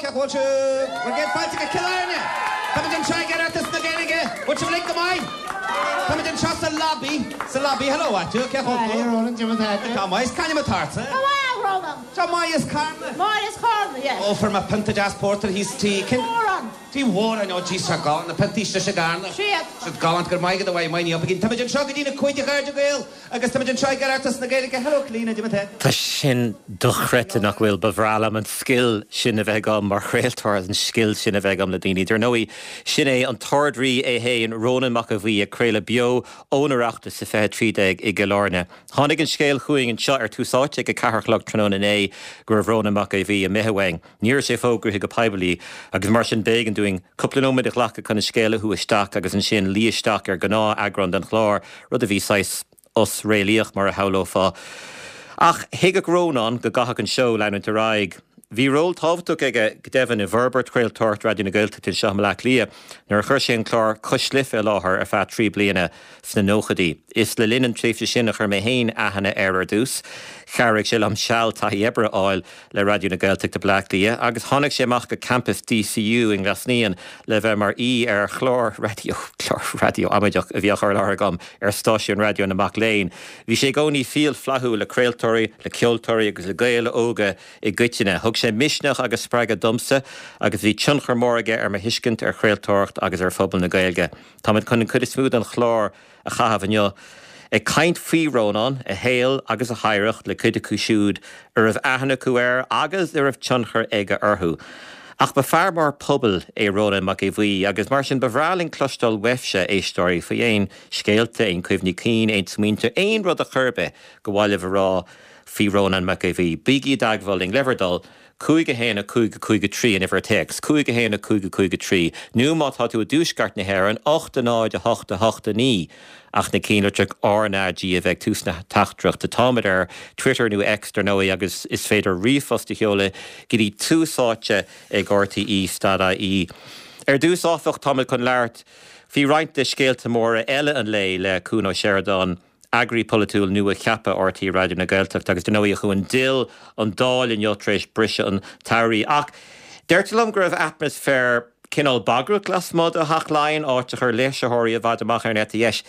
Cén chaoi a bhfuil sibh? Bhur gcéad fáilte go Cill Airne! Táimid anseo ag Oireachtas na Gaeilge. Bhfuil sibh uilig go maith? Táimid anseo sa lobby, sa lobby. Hello, a Mhaitiú. Cén chaoi a bhfuil tú? Hi, Ronan, cad é mar atá tú? Tá maith. C'ainm atá ortsa? Tá maith, Ronan. Tá maith as Carna. Máire as Carna, yes. Ó, fuair mé pionta deas pórtair thíos Tí. Tí Mhóráin. Tí Mhóráin, ó jeez, tá galánta, na piontaí istigh i gCarna. Siad. Siad galánta, go raibh maith agat a Mhaidhc, maith ní up again. Táimid anseo go dtí na cúig a chairde Gael agus táimid anseo ag Oireachtas na Gaeilge. Hello, Clíona, cad é mar atá tú? Tá sin dochreidte, nach bhfuil? Ba bhreá liom an scil sin a bheith agam mar chraoltóir, an scil sin a bheith agam le daoine. Dar ndóigh, sin é an tArd-Rí é féin, Rónán Mac Aodha Bhuí, ag craoladh beo ón Oireachtas sa 2013 i gCill Airne. Tháinig an scéal chugainn anseo ar Tús Áite ag a ceathair a chlog tráthnóna inné go raibh Rónán Mac Aodha Bhuí imithe uainn. Ní raibh sé fógraithe go poiblí agus mar sin b'éigean dúinn cúpla nóiméad a ghlacadh chun an scéal a shú isteach agus ansin luí isteach ar ghnáth-eagrán den chlár, rud a bhí saghas osréalaíoch mar a shamhlófá. Ach thuigfeadh Rónán go gcaithfeadh an seó leanúint ar aghaidh. Bhí ról tábhachtach aige go deimhin i bhforbairt chraoltóireacht Raidió na Gaeltachta anseo i mBaile Átha Cliath nuair a chuir sé an clár Cois Life i láthair ar feadh 3 bliana sna nóchaidí. Is le linn an tréimhse sin a chuir mé féin aithne air ar dtús. Chabhraigh sé liom seal taithí oibre a fháil le Raidió na Gaeltachta Baile Átha Cliath agus tháinig sé amach go campas DCU i nGlas Naíon le bheith mar aoi ar chlár raidió, clár raidió amaideach a bhí á chur i láthair agam ar stáisiún raidió na mac léinn. Bhí sé i gcónaí fial flaithiúil le craoltóirí, le ceoltóirí agus le Gaeil óga i gcoitinne. Thug sé misneach agus spreagadh domsa agus bhí tionchar mór aige ar mo thuiscint ar chraoltóireacht agus ar phobal na Gaeilge. Táimid chun an chuid is mó den chlár a chaitheamh inniu ag caint faoi Rónán, a shaol agus a hoidhreacht le cuid acu siúd a raibh aithne acu air agus a raibh tionchar aige orthu. Ach ba fear mór pobail é Rónán Mac Aodha Bhuí agus mar sin ba bhreá linn cloisteáil uaibhse, éisteoirí, faoi aon scéalta, aon chuimhní cinn, aon smaointe, aon rud a chor ar bith gur mhaith libh a rá faoi Rónán Mac Aodha Bhuí. Bígí i dteagmháil linn, le bhur dtoil. 5 1 5 5 3 an uimhir téacs, 5 1 5 5 3, nó má tá tú i dtuaisceart na hÉireann, 8 0 8 8 9, ach na cinnlitreach RnaG a bheith ag tús na teachtaireachta. Táimid ar Twitter nó X, dar ndóigh, agus is féidir ríomhphost a sheoladh go dtí túsáite ag rte stad ie. Ar dtús, áfach, táimid chun labhairt faoi roinnt de scéalta móra eile an lae le Cuan Ó Seireadáin. Eagraí Polaitiúil nua-cheaptha RTÉ Raidió na Gaeltachta agus dar ndóigh a Chuain d'fhill an Dáil inniu tar éis briseadh an tsamhraidh. Ach deirtear liom go raibh atmaisféar cineál bagrach lasmuigh de Theach Laighean, áit a chuir léirsitheoirí i bhfad amach ar an eite dheis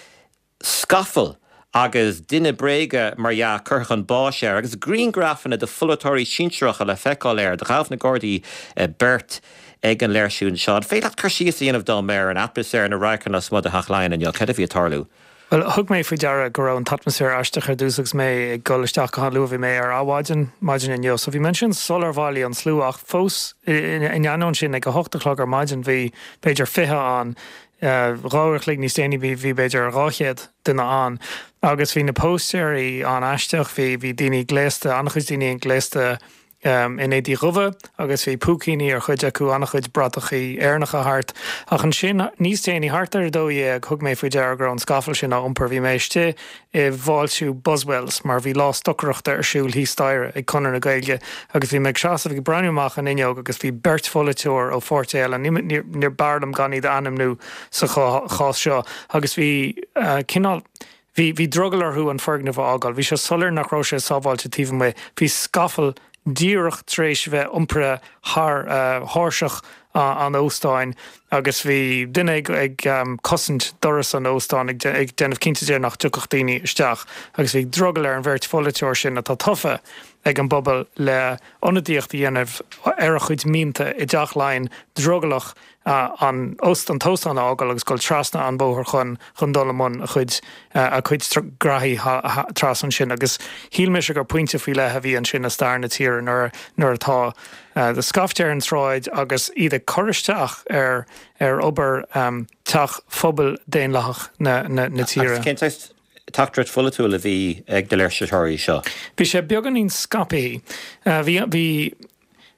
scafall agus duine bréige mar dhea curtha chun báis air agus grianghrafanna de pholaiteoirí sinsearacha le feiceáil air. Do ghabh na Gardaí beirt ag an léirsiú anseo. An féidir leat cur síos a dhéanamh dom ar an atmaisféar, na radharcanna lasmuigh de Theach Laighean inniu? Cad a bhí ag tarlú? Bhuel, thug mé faoi deara go raibh an t-atmaisféar aisteach ar dtús agus mé ag dul isteach go han-luath. Bhí mé ar adhmhaidin, maidin inniu, so bhí mé ansin sular bhailigh an slua ach fós in ainneoin sin ag a hocht a chlog ar maidin bhí b'fhéidir 20 ann. Dhá uair a chloig níos déanaí bhí bhí b'fhéidir 200 duine ann agus bhí na póstaeirí an-aisteach, bhí bhí daoine gléasta, an-chuid daoine gléasta in éadaí dhubha agus bhí púicíní ar chuid acu, an-chuid bratachaí Éireannacha thart. Ach ansin, níos déanaí, thart ar a 12, thug mé faoi deara go raibh an scafall sin á iompar. Bhí mé istigh i bhfáiltiú Buswells mar bhí lá stocaireachta ar siúl thíos staighre ag Conradh na Gaeilge agus bhí mé ag seasamh ag breathnú amach an fhuinneog agus bhí beirt pholaiteoir ó pháirtí eile, ní b'fhearr liom gan iad a ainmniú sa chás seo, agus bhí cineál. Bhí, bhí drogall orthu an foirgneamh a fhágáil. Bhí sé soiléir nach raibh sé sábháilte taobh amuigh. Bhí scafall díreach tar éis a bheith iompraithe thar thairseach an óstáin agus bhí duine ag, ag cosaint doras an óstáin ag, ag déanamh cinnte de nach dtiocfadh daoine isteach agus bhí drogall ar an bheirt pholaiteoir sin atá tofa ag an bpobal le ionadaíocht a dhéanamh ar a chuid mianta i dTeach Laighean drogallach an an t-óstán a fhágáil agus dul trasna an bóthar chun chun dul i mbun a chuid a cuid graithí trasna ansin agus shíl mise gur pointe faoi leith a bhí ansin i stair na tíre nuair nuair atá scaifte ar an tsráid agus iad ag cur isteach ar ar obair teach phobal daonlathach na na na tíre. Agus cén saghas teachtaireacht pholaitiúil a bhí ag na léirsitheoirí seo? Bhí sé beagáinín scaipthe. Bhí bhí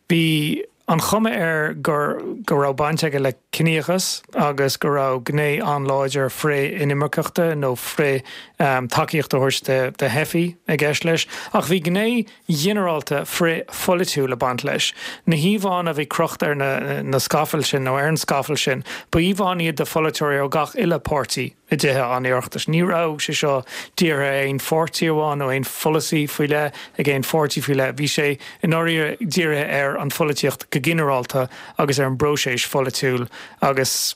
Bhí an chuma air gur go raibh baint aige le ciníochas agus go raibh gné an-láidir frith-inimirceachta nó frith tacaíocht a thabhairt do theifigh i gceist leis. Ach bhí gné ghinearálta frith-pholaitiúil ag baint leis. Na híomhánna a bhí crochta ar na na scafaill sin nó ar an scafall sin, ba íomhánna iad de pholaiteoirí ó gach uile páirtí. i dTithe an Oireachtais. Ní raibh sé seo dírithe ar aon pháirtí amháin nó aon pholasaí faoi leith ag aon pháirtí faoi leith. Bhí sé i ndáiríre dírithe ar an pholaitíocht go ginearálta agus ar an bpróiseas pholaitiúil agus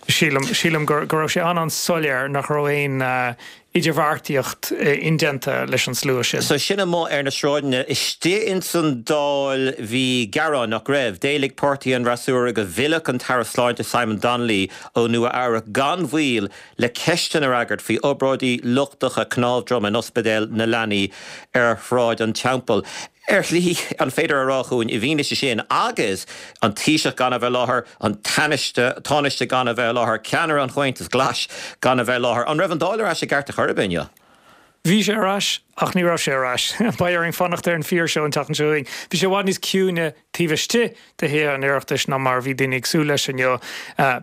sílim, sílim go raibh sé an-an-soiléir nach raibh aon idirbheartaíocht indéanta leis an slua sin. So sin amuigh ar na sráideanna. Istigh ins an Dáil bhí gearáin, nach raibh? D'éiligh páirtí an fhreasúra go bhfillfeadh an tAire Sláinte Simon Donnelly ó Nua Eabhrac gan mhoill le ceisteanna a fhreagairt faoi obráidí lochtacha cnámh droma in Ospidéal na Leanaí ar Shráid an Teampaill. Ar shlí, an féidir a rá chugainn, i bhfianaise sin agus an Taoiseach gan a bheith i láthair, an Tánaiste gan a bheith i láthair, ceannaire an Chomhaontais Ghlais gan a bheith i láthair, an raibh an Dáil ar ais i gceart ar chor ar bith inniu? Bhí sé ar ais, ach ní raibh sé ar ais. Beidh orainn fanacht ar an fíorshow an tseachtain seo chugainn. Bhí sé i bhfad níos ciúine taobh istigh de Thithe an Oireachtais ná mar a bhí daoine ag súil leis inniu.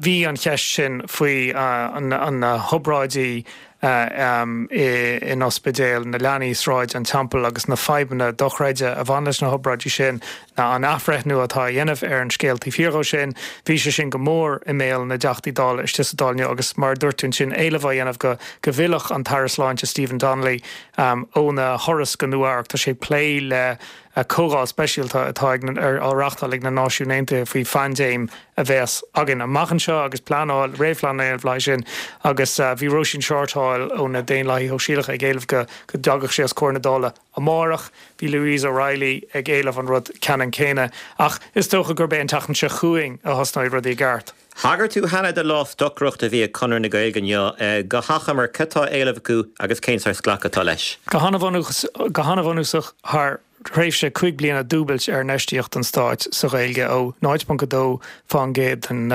Bhí an cheist sin faoi na hobráidí in Ospidéal na Leanaí, Sráid an Teampaill agus na fadhbanna dochreidte a bhain leis na hobráidí sin, an athbhreithniú atá á dhéanamh ar an scéal taobh thiar dhó sin. Bhí sé sin go mór i mbéal na dTeachtaí Dála istigh sa Dáil inniu agus mar a dúirt tú ansin, éileamh á dhéanamh go go bhfillfeadh an tAire Sláinte Stephen Donnelly óna thuras go Nua Eabhrac. Tá sé ag plé le comhdháil speisialta atá á reáchtáil ag na Náisiúin Aontaithe faoi phaindéim a bheas againn amach anseo agus pleanáil, réamhphleanáil le haghaidh sin agus bhí Róisín Shortall ó na Daonlathaithe Shóisialacha ag éileamh go dtagadh sé os comhair na Dála amárach. Bhí Louise O'Reilly ag éileamh an rud ceannann céanna ach is dócha gurb é an tseachtain seo chugainn a thosnóidh rudaí i gceart. Thagair tú cheana do lá stocaireachta a bhí ag Conradh na Gaeilge inniu. Go hachomair, cad tá á éileamh acu agus cén saghas glacadh atá leis? Go han-bhunúsach, thar thréimhse 5 bliana dúbailt ar infheistíocht an stáit sa Ghaeilge ó 0.2 fán gcéad den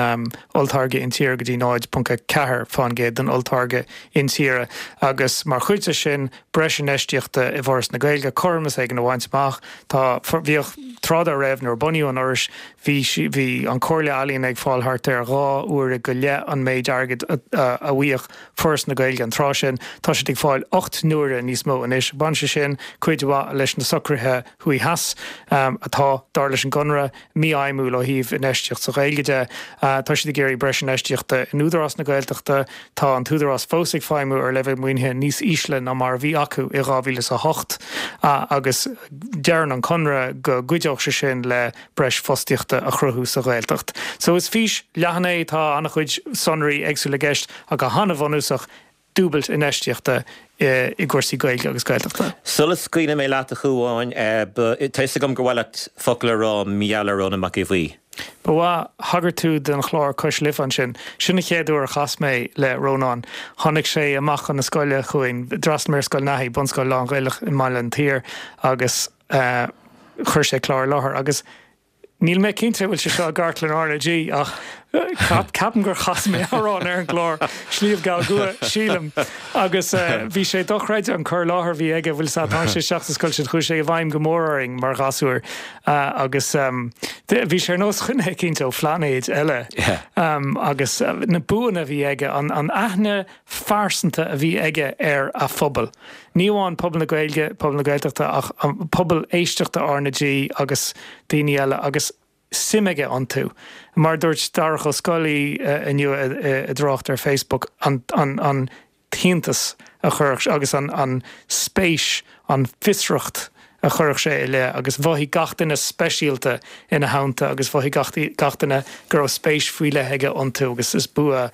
olltáirge intíre go dtí 0.4 fán gcéad den olltáirge intíre agus mar chuid de sin breis infheistíochta i bhForas na Gaeilge, cothromas éigin a bhaint amach. Tá, bhíodh, tráth dá raibh nuair a bunaíodh an Fhorais, Bhí, bhí an Chomhairle Ealaíon ag fáil thart ar 2 uaire go leith an méid airgid a bhfaigheadh Foras na Gaeilge an tráth sin. Tá siad ag fáil 8 n-uaire níos mó anois. Bhain sé sin cuid mhaith leis na socruithe thuaidh theas atá, dar leis an gConradh, mífheidhmiúil ó thaobh infheistíocht sa Ghaeilge de. Tá siad ag iarraidh breis infheistíochta in Údarás na Gaeltachta. Tá an tÚdarás fós ag feidhmiú ar leibhéal maoinithe níos ísle ná mar a bhí acu i 2008 agus deireann an Conradh go gcuideodh sé sin le breis fostaíochta a chruthú sa Ghaeltacht. So is fís leathan é, tá an-chuid sonraí éagsúla i gceist ach go han-bhunúsach, dúbailt infheistíochta i gcúrsaí Gaeilge agus Gaeltachta. Sula scaoilfidh mé leat a Chuáin, tá fhios agam gur mhaith leat focal a rá mar gheall ar Rónán Mac Aodha Bhuí. Ba mhaith. Thagair tú don chlár Cois Life ansin. Sin an chéad uair a chas mé le Rónán. Tháinig sé amach chun na scoile chugainn. D'fhreastail mé ar Scoil Naithí, bunscoil lán-Ghaelach i mBaile an tSaoir, agus chuir sé clár i láthair agus níl mé cinnte an bhfuil sé seo i gcartlann RnaG ach ceapaim gur chas mé amhrán ar an gclár, Sliabh Gall Gcuaidh, sílim, agus bhí sé dochreidte an cur i láthair a bhí aige, bhfuil a fhios agat, tháinig sé isteach sa scoil sin, chuaigh sé i bhfeidhm go mór orainn mar ghasúir agus bhí sé ar nós dhuine eicínt ó phlainéid eile agus na buanna a bhí aige, an aithne phearsanta a bhí aige ar a phobal. Ní amháin pobal na Gaeilge, pobal na Gaeltachta ach pobal éisteachta RnaG agus daoine eile agus suim aige iontu. Mar a dúirt Darach Ó Scolaí inniu i dtrácht ar Facebook, an an t-iontas a chuirfeadh agus an spéis, an fiosracht a chuirfeadh sé i leith agus mhothaigh gach duine speisialta ina theannta agus mhothaigh gach duine go raibh spéis faoi leith aige iontu agus is bua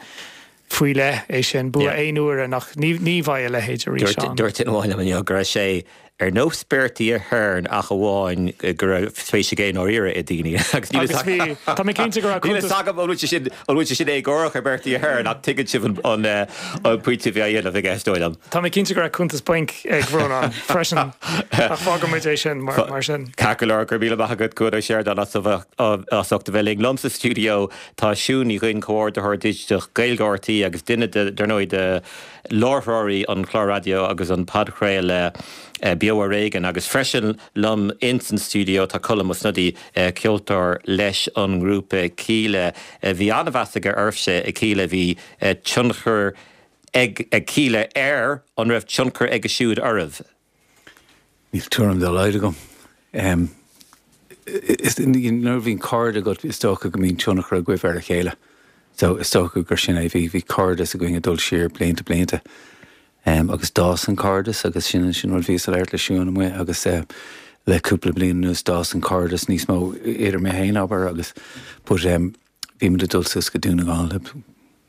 faoi leith é sin, bua aon uaire nach, ní bheidh a leithéid arís ann. Dúirt duine amháin liom inniu go raibh sé ar nós Bertie Ahern ach amháin go raibh spéis aige i ndáiríre i ndaoine agus níl a fhios Tá mé cinnte go raibh cuntas. Níl a fhios agam an bhfuil sé sin, an bhfuil sé sin éagórach ar Bertie Ahern ach tuigeann sibh an pointe a bhí á dhéanamh aige is dóigh liom. Tá mé cinnte go raibh cuntas bainc ag Rónán freisin ach fágfaidh muid é sin mar sin. Ceart go leor, go raibh míle maith agat Cuan Ó Seireadáin as ucht a bheith linn liom sa stiúideo. Tá Siún Ní Dhuinn, Comhordaitheoir Digiteach Gaeilge RTÉ agus duine de, dar ndóigh, de láithreoirí an chláir raidió agus an podchraoladh Beo Ar Éigean agus freisin liom ins an stiúideo tá Colm Ó Snodaigh, ceoltóir leis an ngrúpa Kíla. Bhí an-mheas aige oraibhse i Kíla, bhí tionchar ag Kíla air, an raibh tionchar aige siúd oraibh? Níl tuairim dá laghad agam. Nuair a bhíonn cairde agat, is dócha go mbíonn tionchar agaibh ar a chéile. So is dócha gur sin é, bhí, bhí cairdeas againn ag dul siar blianta blianta agus d'fhás an cairdeas agus sin, sin rud bhíos ag labhairt le Siún amuigh agus le cúpla bliain anuas d'fhás an cairdeas níos mó idir mé féin, abair, agus but bhí muid ag dul suas go Dún na nGall le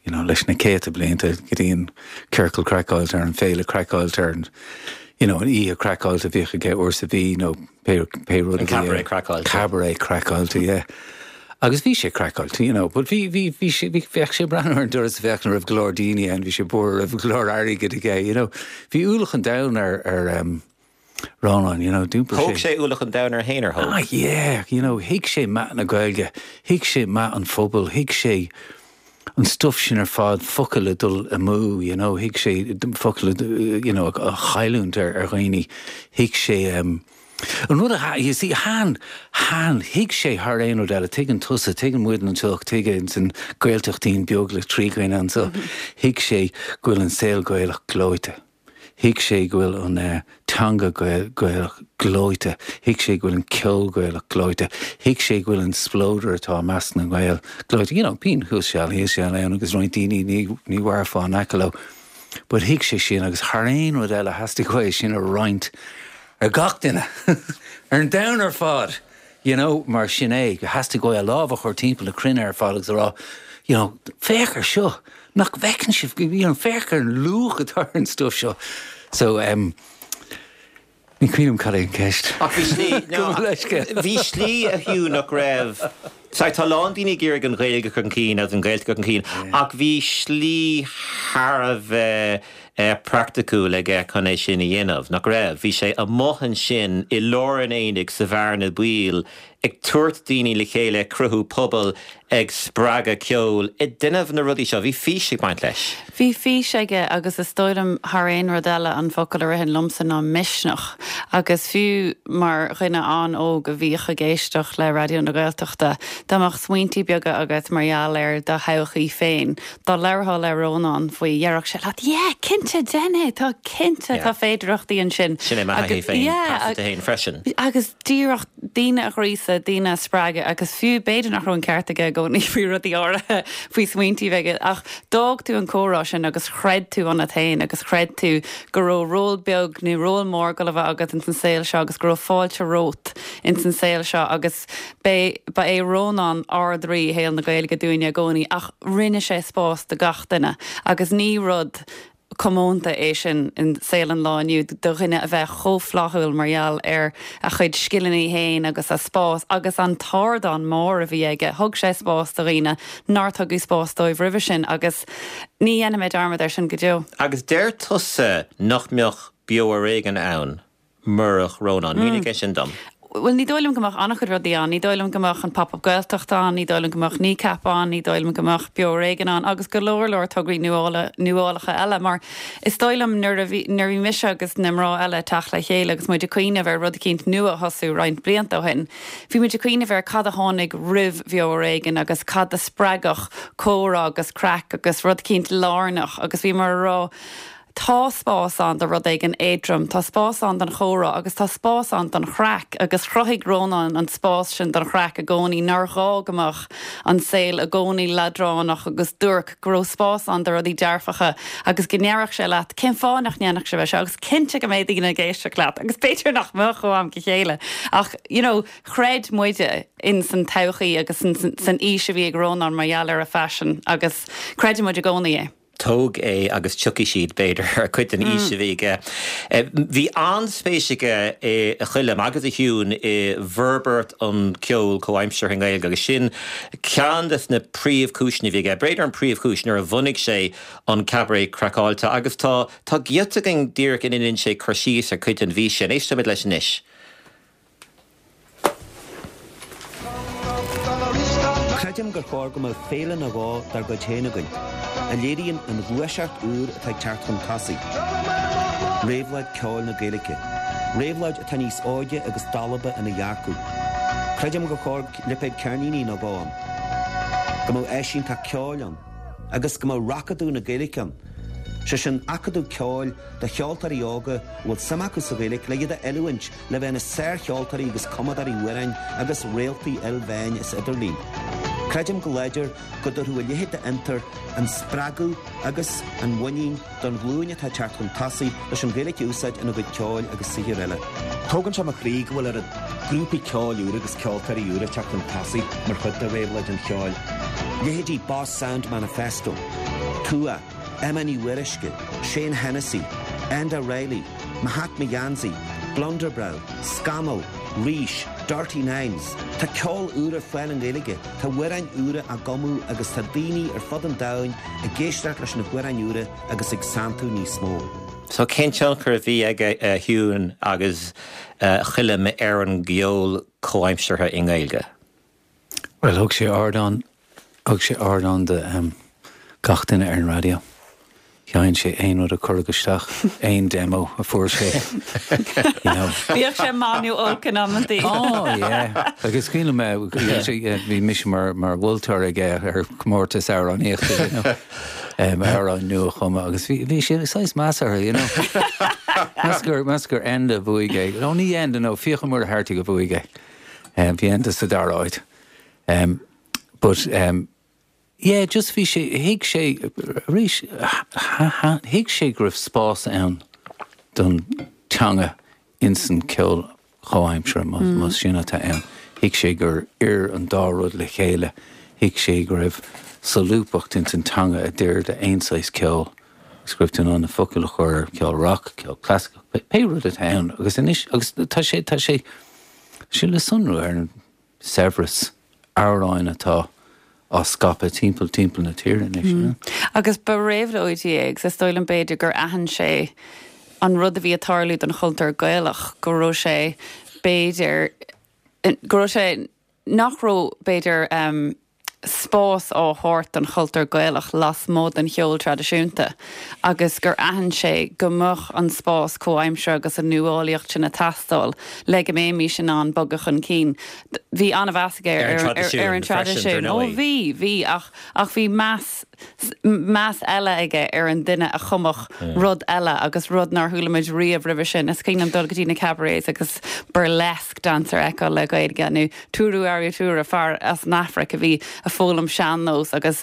you know, leis na céadta blianta go dtí an Ciorcal Craiceáilte ar an Féile Craiceáilte ar an you know, an oíche craiceáilte a bhíodh aige uair sa mhí nó pé, pé rud a bhí. An Cabaret Craiceáilte. Cabaret Craiceáilte, yeah. Agus bhí sé craiceáilte, you know, but bhí, bhí, bhí sé, bhí, bheadh sé ag breathnú ar an doras ag féachaint an raibh go leor daoine ann, bhí sé buartha raibh go leor airgid aige, you know. Bhí ualach an domhain ar, ar, um, Rónán, you know, d'iompair sé. Thóg sé ualach an domhain air féin, ar thóg? Ah, yeah, you know, thuig sé meath na Gaeilge, thuig sé meath an phobail, thuig sé an stuff sin ar fad, focail ag dul amú, you know, thuig sé focail, you know, a chailliúint ar, ar dhaoine, thuig sé, um, an rud a, you see, han, han, thuig sé thar aon rud eile, tuigeann tusa, tuigeann muid anseo, tuigeann san Gaeltachtín beag le 3 dhuine anseo, thuig sé go bhfuil an saol Gaelach gleoite. Thuig sé go bhfuil an teanga Gaelach gleoite, thuig sé go bhfuil an ceol Gaelach gleoite, thuig sé go bhfuil an spleodar atá i measc na nGael gleoite. You know, bíonn thuas seal thíos seal ann agus roinnt daoine ní ní mhairfeá in aice leo. But thuig sé sin agus thar aon rud eile theastaigh uaidh sin a roinnt ar gach duine ar an domhan ar fad. You know, mar sin é, theastaigh uaidh a lámh a chur timpeall na cruinne ar fad agus a rá, you know, féach ar seo, nach bhfeiceann sibh, you know, féach ar an luach atá ar an stuff seo. So, um, ní cuimhin liom cad é an ceist. Ach bhí slí, no, bhí slí a Hugh nach raibh, sorry, tá a lán daoine ag iarraidh an Ghaeilge a chur chun cinn agus an Ghaeltacht a chur chun cinn, ach bhí slí thar a bheith praiticiúil aige chun é sin a dhéanamh, nach raibh? Bhí sé amuigh ansin i lár an aonaigh sa bhearna baoil ag tabhairt daoine le chéile, ag cruthú pobail, ag spreagadh ceoil, ag déanamh na rudaí seo. Bhí fís ag baint leis. Bhí fís aige agus is dóigh liom thar aon rud eile an focal a ritheann liomsa ná misneach. Agus fiú mar dhuine an-óg a bhíodh ag éisteacht le Raidió na Gaeltachta, dá mbeadh smaointí beaga agat mar gheall ar do thodhchaí féin, Dá labharfá le Rónán faoi, déarfadh sé leat, yeah, cinnte, déan é, tá cinnte, tá féidearthachtaí ansin. Sin é mo thaithí féin, pearsanta féin freisin. Agus díreach daoine a ghríosadh, daoine a spreagadh agus fiú b'fhéidir nach raibh an ceart aige i gcónaí faoi rudaí áirithe, faoi smaointí a bheith aige, ach d'fhág tú an comhrá sin agus chreid tú ionat féin agus chreid tú go raibh ról beag nó ról mór ag dul a bheith agat ins an saol seo agus go raibh fáilte romhat ins an saol seo agus B'é, ba é Rónán Ard-Rí shaol na Gaeilge dúinne i gcónaí ach rinne sé spás do gach duine agus ní rud comónta é sin i saol an lá inniu do dhuine a bheith chomh flaithiúil mar gheall ar a chuid scileanna féin agus a spás agus an t-ardán mór a bhí aige. Thug sé spás do dhaoine nár tugadh spás dóibh roimhe sin agus ní dhéanfaidh mé dearmad air sin go deo. Agus deir tusa nach mbeadh Beo Ar Éigean ann murach Rónán. Mínigh é sin dom. Bhuel, ní dóigh liom go mbeadh an-chuid rudaí ann. Ní dóigh liom go mbeadh an Pop Up Gaeltacht ann, ní dóigh liom go mbeadh Kneecap ann, ní dóigh liom go mbeadh Beo Ar Éigean ann agus go leor leor tograí nuálacha eile mar is dóigh liom nuair a bhí, nuair a bhí mise agus na mná eile ag teacht le chéile agus muid ag cuimhneamh ar rud eicínt nua a thosú roinnt blianta ó shin, bhí muid ag cuimhneamh ar cad a tháinig roimh Bheo Ar Éigean agus cad a spreagfadh comhrá agus craic agus rud eicínt lárnach agus bhíomar ag rá Tá spás ann do rud éigin éadrom, tá spás ann don chomhrá agus tá spás ann don chraic agus chruthaigh Rónán an spás sin don chraic i gcónaí, nár ghá go mbeadh an saol i gcónaí leadránach agus duairc, go raibh spás ann do rudaí dearfacha agus go ndéarfadh sé leat cén fáth nach ndéanfadh sibh é seo agus cinnte go mbeidh daoine ag éisteacht leat agus b'fhéidir nach mbeadh ó am go chéile ach you know chreid muide in san todhchaí agus san fhís a bhí ag Rónán mar gheall ar a phaisean agus creideann muid i gcónaí é. Tóg é agus tiocfaidh siad, b'fhéidir, ar cuid den fhís a bhí aige. Bhí an-spéis aige, a Choilm agus a Shiún, i bhforbairt an cheoil chomhaimseartha i nGaeilge agus sin ceann de na príomhchúiseanna a bhí aige, b'fhéidir an príomhchúis, nuair a bhunaigh sé an Cabaret Craiceáilte agus tá tá giota againn díreach ina ndéanann sé cur síos ar chuid den bhfís sin. Éistfimid leis anois. Creidim gur chóir go mbeadh féile nó dhó dár gcuid féin againn, a léiríonn an ghluaiseacht úr atá ag teacht chun tosaigh, réabhlóid ceoil na Gaeilge, réabhlóid atá níos óige agus dalba ina dhearcadh. Creidim gur chóir lipéad ceirníní nó dhó ann, go mbeadh áis iontach ceoil ann, agus go mbeadh Racadamh na Gaeilge ann, sé sin acadamh ceoil do cheoltóirí óga a bhfuil suim acu sa Ghaeilge le iad a oiliúint le bheith ina sárcheoltóirí agus cumadóirí amhráin agus réaltaí ilmheáin is idirlín. Creidim go láidir go dtabharfadh a leithéid d'fhiontar an spreagadh agus an mhuinín don ghlúin atá ag teacht chun tosaigh leis an Ghaeilge a úsáid ina gcuid ceoil agus saothair eile. Tógann sé mo chroí go bhfuil oiread grúpaí ceoil úra agus ceoltóirí úra ag teacht chun tosaigh mar chuid de réabhlóid an cheoil. Leithéidí Boss Sound Manifesto, Tuath, Emma Ní Mhuirisce, Shane Hennessy, Enda Reilly, Mo Hat Mo Gheansaí, Blunderbrow, Scamall, Rís, Dirty Nines. Tá ceol úr ar fáil i nGaeilge, tá amhráin úra á gcumadh agus tá daoine ar fud an domhain ag éisteacht leis na hamhráin úra agus ag santú níos mó. So cén tionchar a bhí aige a Shiún agus a Choilm ar an gceol comhaimseartha i nGaeilge? Bhuel, thug sé ardán, thug sé ardán do gach duine ar an raidió. Sheinn sé aon rud a cuireadh isteach, aon demo a fuair sé, you know. Bíodh sé maith nó olc in amantaí. Oh yeah. Agus cuimhin liom, bhí mise mar mar mholtóir aige ar chomórtas amhránaíochta, you know. Amhrán nua a chumadh agus bhí bhí sé saghas measartha, you know. Meas gur meas gur Enda a bhuaigh é. No, ní Enda, no, Fiachra Muircheartaigh a bhuaigh é. Bhí Enda sa dara háit. But yeah, just bhí sé, thuig sé, arís, thuig sé go raibh spás ann don teanga insan ceol chomhaimseartha, más sin atá ann. Thuig sé gur oir an dá rud le chéile. Thuig sé go raibh solúbthacht insan teanga a d'oir d'aon saghas ceoil agus go raibh tú in ann na focail a chur ar ceol rock, ceol clasaiceach, pé rud atá ann. Agus anois, agus tá sé, tá sé, sé le sonrú ar an saibhreas amhráin atá á scaipeadh timpeall timpeall na tíre anois. You know? Agus ba réabhlóidí é agus is dóigh liom b'fhéidir gur aithin sé an rud a bhí ag tarlú don chultúr Gaelach, go raibh sé b'fhéidir, go raibh sé, nach raibh b'fhéidir spás á thabhairt don chultúr Gaelach lasmuigh den cheol traidisiúnta agus gur aithin sé go mbeadh an spás comhaimseartha agus an nuálaíocht sin ag teastáil le go mbeimis in ann bogadh chun cinn. Bhí an-mheas aige ar an traidisiún. Ó bhí, bhí ach ach bhí meas meas eile aige ar an duine a chumfadh rud eile agus rud nár chuala muid riamh roimhe sin. Is cuimhin liom dul go dtí na cabarets agus burlesque dancer a fheiceáil le Gaeilge nó Tuuru Arutura, fear as an Afraic a bhí ag foghlaim sean-nós agus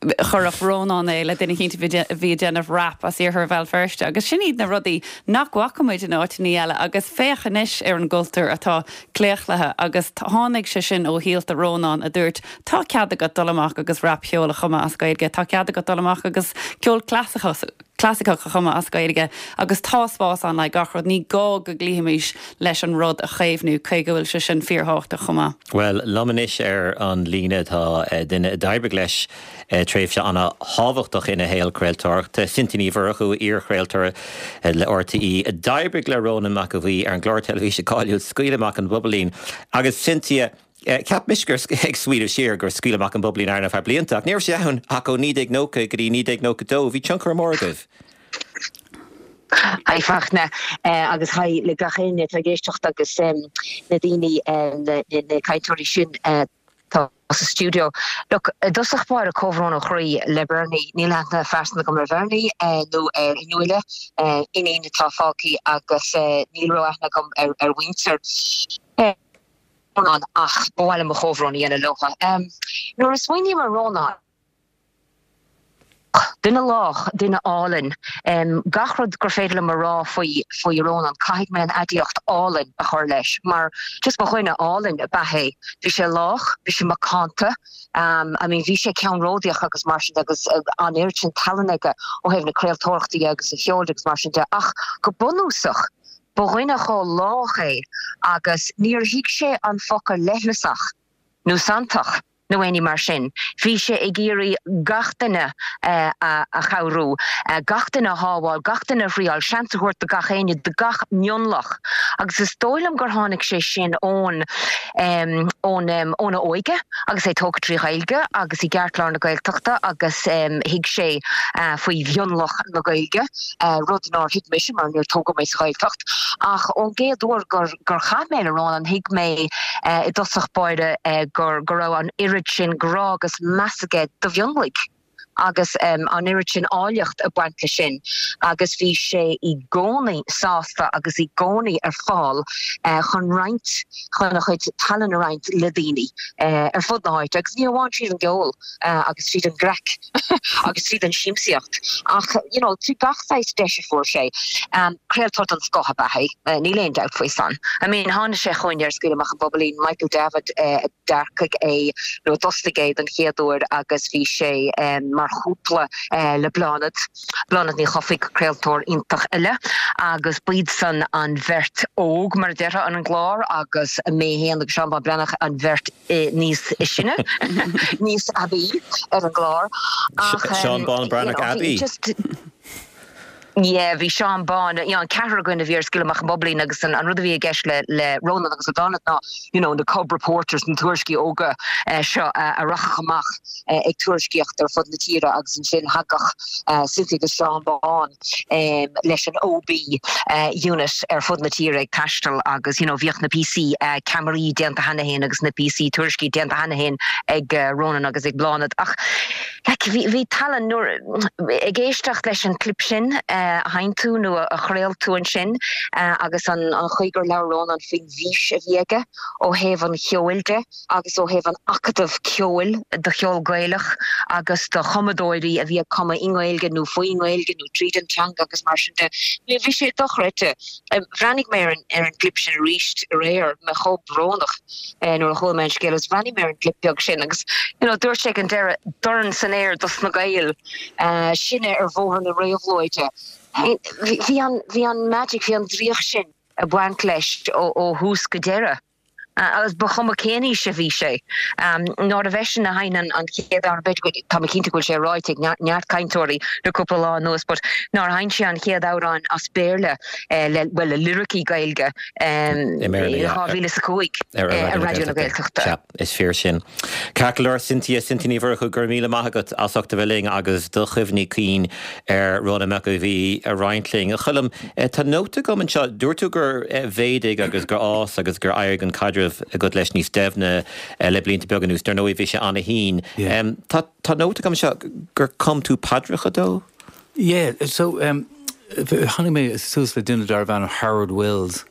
chuirfeadh Rónán é le duine eicínt a bhí ag déanamh rap as iarthar Bhéal Feirste agus sin iad na rudaí nach bhfaca muid in áiteanna eile agus féach anois ar an gcultúr atá claochlaithe agus tháinig sé sin ó shíolta Rónán a dúirt Tá cead agat dul amach agus rapcheol a chumadh as Gaeilge, tá cead agat dul amach agus ceol clasaiceach a chumadh as Gaeilge agus tá spás ann le gach rud. Ní gá go gcloífimis leis an rud a chaomhnú, cé go bhfuil sé sin fíorthábhachtach chomh maith. Bhuel, liom anois ar an líne tá duine a d'oibrigh leis tréimhse ana-thábhachtach ina shaol craoltóireachta, Cynthia Ní Mhurchú, iar-chraoltóir le RTÉ, a d'oibrigh le Rónán Mac Aodha Bhuí ar an gclár teilifíse cáiliúil Scaoil Amach an Bhobailín. Agus Cynthia, Cheap mise gur, ag smaoineamh siar, gur Scaoil Amach an Bhobailín ann ar feadh blianta, ach ní raibh sé ann ach ó 1990 go dtí 1992. Bhí tionchar mór agaibh. Haigh Fachtna, agus haigh le gach éinne atá ag éisteacht agus na daoine, na cainteoirí sin atá sa stiúideo. Look, i dtosach báire, comhbhrón ó chroí le Bernie. Níl aithne phearsanta agam ar Bhernie nó ar Fhionnuala, iníon atá fágtha agus níl ró-aithne agam ar mhuintir. Rónán ach ba mhaith liom mo chomhbhrón a dhéanamh leo. Nuair a smaoiním ar Rónán, duine lách, duine álainn, gach rud gur féidir liom a rá faoi faoi Rónán, caithfidh mé an aidiacht álainn a chur leis mar just ba dhuine álainn ab ea é. Bhí sé lách, bhí sé macánta, I mean bhí sé ceannródaíoch agus mar sin de agus an oiread sin tallann aige ó thaobh na craoltóireachta dhe agus an cheoil de agus mar sin de ach go bunúsach Ba dhuine chomh lách é agus níor thuig sé an focal leithleasach nó santach nó aon ní mar sin. Bhí sé ag iarraidh gach duine a chabhrú, gach duine a shábháil, gach duine a thriáil, seans a thabhairt do gach éinne, do gach mionlach. Agus is dóigh liom gur tháinig sé sin ón, ón, óna óige agus é tógtha trí Ghaeilge agus i gceartlár na Gaeltachta agus thuig sé faoi mhionlach na Gaeilge. rud nár thuig mise mar níor tógadh mé sa Ghaeltacht. Ach ón gcéad uair gur gur chaith mé le Rónán thuig mé i dtosach báire gur go raibh an oiread sin grá agus meas aige do mhionlaigh. Agus an oiread sin áilleacht ag baint leis sin agus bhí sé i gcónaí sásta agus i gcónaí ar fáil chun roinnt, chun a chuid tallann a roinnt le daoine ar fud na háite agus ní amháin tríd an gceol agus tríd an gcraic agus tríd an siamsaíocht ach you know trí gach saghas deis a fuair sé. Craoltóir den scoth ab ea é, níl aon dabht faoi san. I mean tháinig sé chugainn ar Scaoil Amach an Bobailín, Michael Davitt a d'earcaigh é nó a d'fhostaigh é don chéad uair agus bhí sé mar chúpla le Bláthnaid, Bláthnaid Ní Chofaigh, craoltóir iontach eile, agus b'iadsan an bheirt óg, mar a déarfá, ar an gclár agus mé féin agus Seán Bán Breathnach an bheirt níos sine, níos aibí ar an gclár. Ach, Seán Bán Breathnach aibí? Yeah, bhí Seán Bán, you know, an ceathrar againn a bhí ar Scaoil Amach an Bhobailín agus an rud a bhí i gceist le le Rónán agus le Bláthnaid ná, you know, na cub reporters, na tuairiscí óga seo a rachadh amach ag tuairiscíocht ar fud na tíre agus ansin thagadh Cynthia agus Seán Bán leis an OB unit ar fud na tíre ag taisteal agus, you know, bhíodh na píosaí ceamaraí déanta cheana féin agus na píosaí tuairiscí déanta cheana féin ag Rónán agus ag Bláthnaid ach like bhí bhí tallann nuair ag éisteacht leis an clip sin a sheinn tú nó a chraol tú ansin agus an chaoi gur labhair Rónán faoin bhfís a bhí aige ó thaobh an cheoil de agus ó thaobh an acadamh ceoil do cheol Gaelach agus do chumadóirí a bhí ag cumadh i nGaeilge nó faoin nGaeilge nó tríd an teanga agus mar sin de. Bhí sé dochreidte. Bhreathnaigh mé ar an gclip sin arís aréir, mé chomh brónach. nuair a chuala mé an scéal agus bhreathnaigh mé ar an gclip beag sin agus you know dúirt sé ag an deireadh dorn san aer dos na Gaeil, sinne ar bhóthar na réabhlóide. Bhí an bhí an magic, bhí an draíocht sin ag baint leis ó ó thús go deireadh. Agus ba chuma cén aois a bhí sé. Nárbh eisean a sheinn an an chéad amhrán, b'fhéidir go, tá mé cinnte go bhfuil sé ráite ag neart cainteoirí le cúpla lá anuas, but nár sheinn sé an chéad amhrán as Béarla le, bhuel, le liricí Gaeilge i 2005 ar Raidió na Gaeltachta. Sea, is fíor sin. Ceart go leor, Cynthia, Cynthia Ní Mhurchú, go raibh míle maith agat as ucht a bheith linn agus do chuimhní cinn ar Rónán Mac Aodha Bhuí a roinnt linn. A Choilm, tá nóta agam anseo, dúirt tú gur mhéadaigh agus gur fhás agus gur éirigh an caidreamh agat leis níos doimhne le blianta beaga anuas. Dar ndóigh, bhí sé ana-thinn. Tá nóta agam anseo gur chum tú paidreacha dó? Yeah, so tháinig mé suas le duine darbh ainm Howard Wills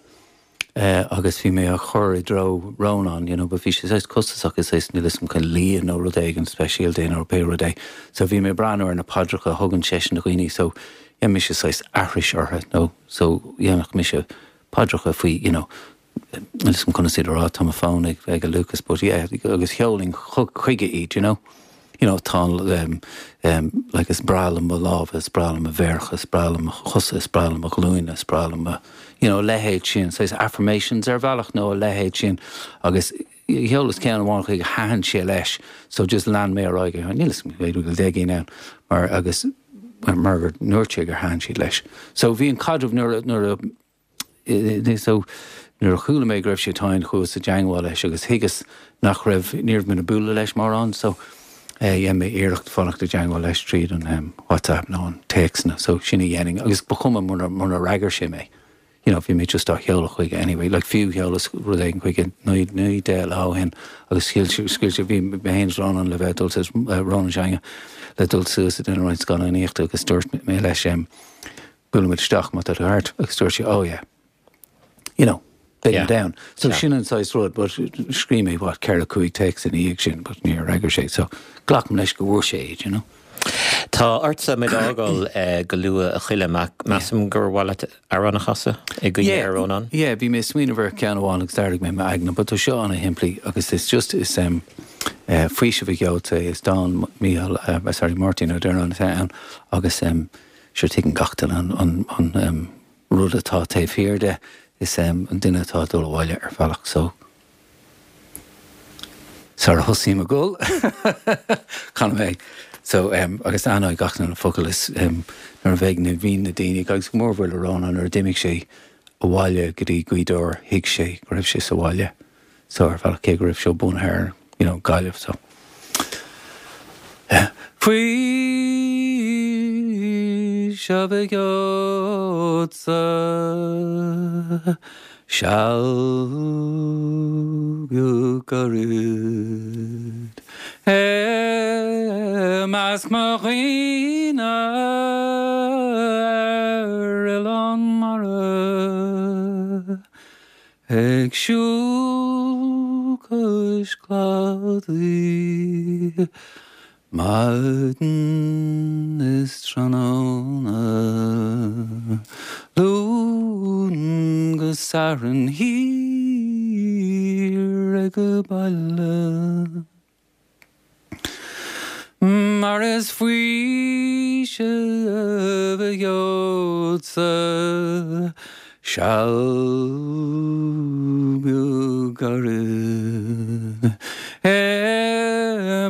agus bhí mé á chur i dtreo Rónán, you know, but bhí sé saghas costasach is saghas níl 'fhios a'm chun lia nó rud éigin speisialta nó pé rud é. So bhí mé ag breathnú ar na paidreacha a thugann seisean do dhaoine so dhein mise saghas aithris orthu nó so dhéanfadh mise paidreacha faoi, you know, Níl 'fhios a'm conas iad a rá, tá mo fón ag ag Lucas but yeah agus sheolainn chuige iad, you know. You know, tá um, like is breá liom mo lámha, is breá liom mo mhéaracha, is breá liom mo chosa, is breá liom mo ghlúine, is breá liom mo, you know, a leithéid sin, saghas affirmations ar bhealach nó a leithéid sin agus sheolas ceann amháin chuige thaitin sé leis so just lean mé ar aghaidh, níl 'fhios a'm b'fhéidir go bhfuil 10 gcinn ann mar agus mar gur ndúirt sé gur thaitin siad leis. So bhí an caidreamh nuair a nuair a So, nuair a chuala mé go raibh sé tinn, chuas i dteangmháil leis agus thuigeas nach raibh, ní raibh mé ag bualadh leis mórán, so dhein mé iarracht fanacht i dteangmháil leis tríd an WhatsApp nó an téacsanna, so sin a dhéanfainn agus ba chuma munar, munar fhreagair sé mé, you know, bhí mé just á sheoladh chuige anyway, like fiú sheolas rud éigin chuige 9, 10 lá ó shin agus shíl sé, scaoil sé, bhí mé féin is Rónán le bheith ag dul suas, Rónán s'againne, le dul suas ag déanamh roinnt scannánaíochta agus dúirt mé leis, buailfidh muid isteach má tá tú thart agus dúirt sé oh yeah you know beidh mé down. So sin an saghas rud but scríobh mé what 4 5 téacs ina dhiaidh sin but níor fhreagair sé so glacaim leis go bhfuair sé iad you know. Tá ortsa muid a fhágáil go luath a Choilm ach measaim gur mhaith leat amhrán a chasadh i gcuimhne ar Rónán? Yeah, bhí mé ag smaoineamh ar cheann amháin agus d'airigh mé m'aigne but tá seo ana-shimplí agus is just is um, faoiseamh a gheobhadh tú is dán Mícheál uh, sorry Máirtín Ó Direáin atá ann agus um, Sure tuigeann gach duine an rud atá taobh thiar de, is an duine atá ag dul abhaile ar bhealach so sara thosaím ag gol canfaidh mé so agus aithneoidh gach duine na focail is nuair a bheidh na bhíonn na daoine agus go mórmhór le Rónán nuair a d'imigh sé abhaile go dtí Gaoth Dobhair thuig sé go raibh sé sa bhaile. So ar bhealach cé go raibh sé bunaithe ar you know Gaillimh so eh. Faoiseamh a gheobhadsa seal beag gairid. measc mo dhaoine ar oileán mara ag siúl cois cladaigh Maidin is tráthnóna, Luan go Satharn thiar ag baile. Mar is faoiseamh a gheobhadsa Seal beag gairid i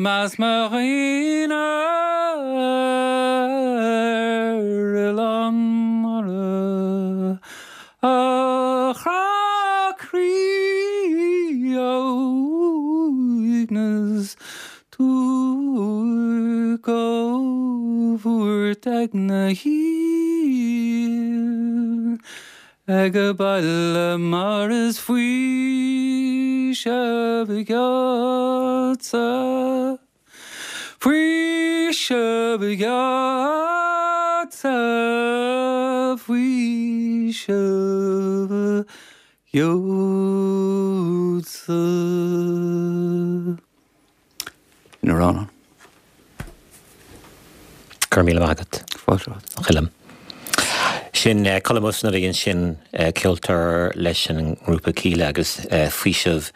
measc mo dhaoine ar oileán mara, a chrá croí, a uaigneas, Duairc ó bhuairt aigne thiar ag baile mar is faoiseamh a gheobhadsa, faoiseamh a gheobhadsa, faoiseamh a gheobhadsa. Sin Rónán. Go raibh míle maith agat. Fáilte romhat. A Choilm. Sin Colm Ó Snodaigh ansin, ceoltóir leis an ngrúpa Kíla agus Faoiseamh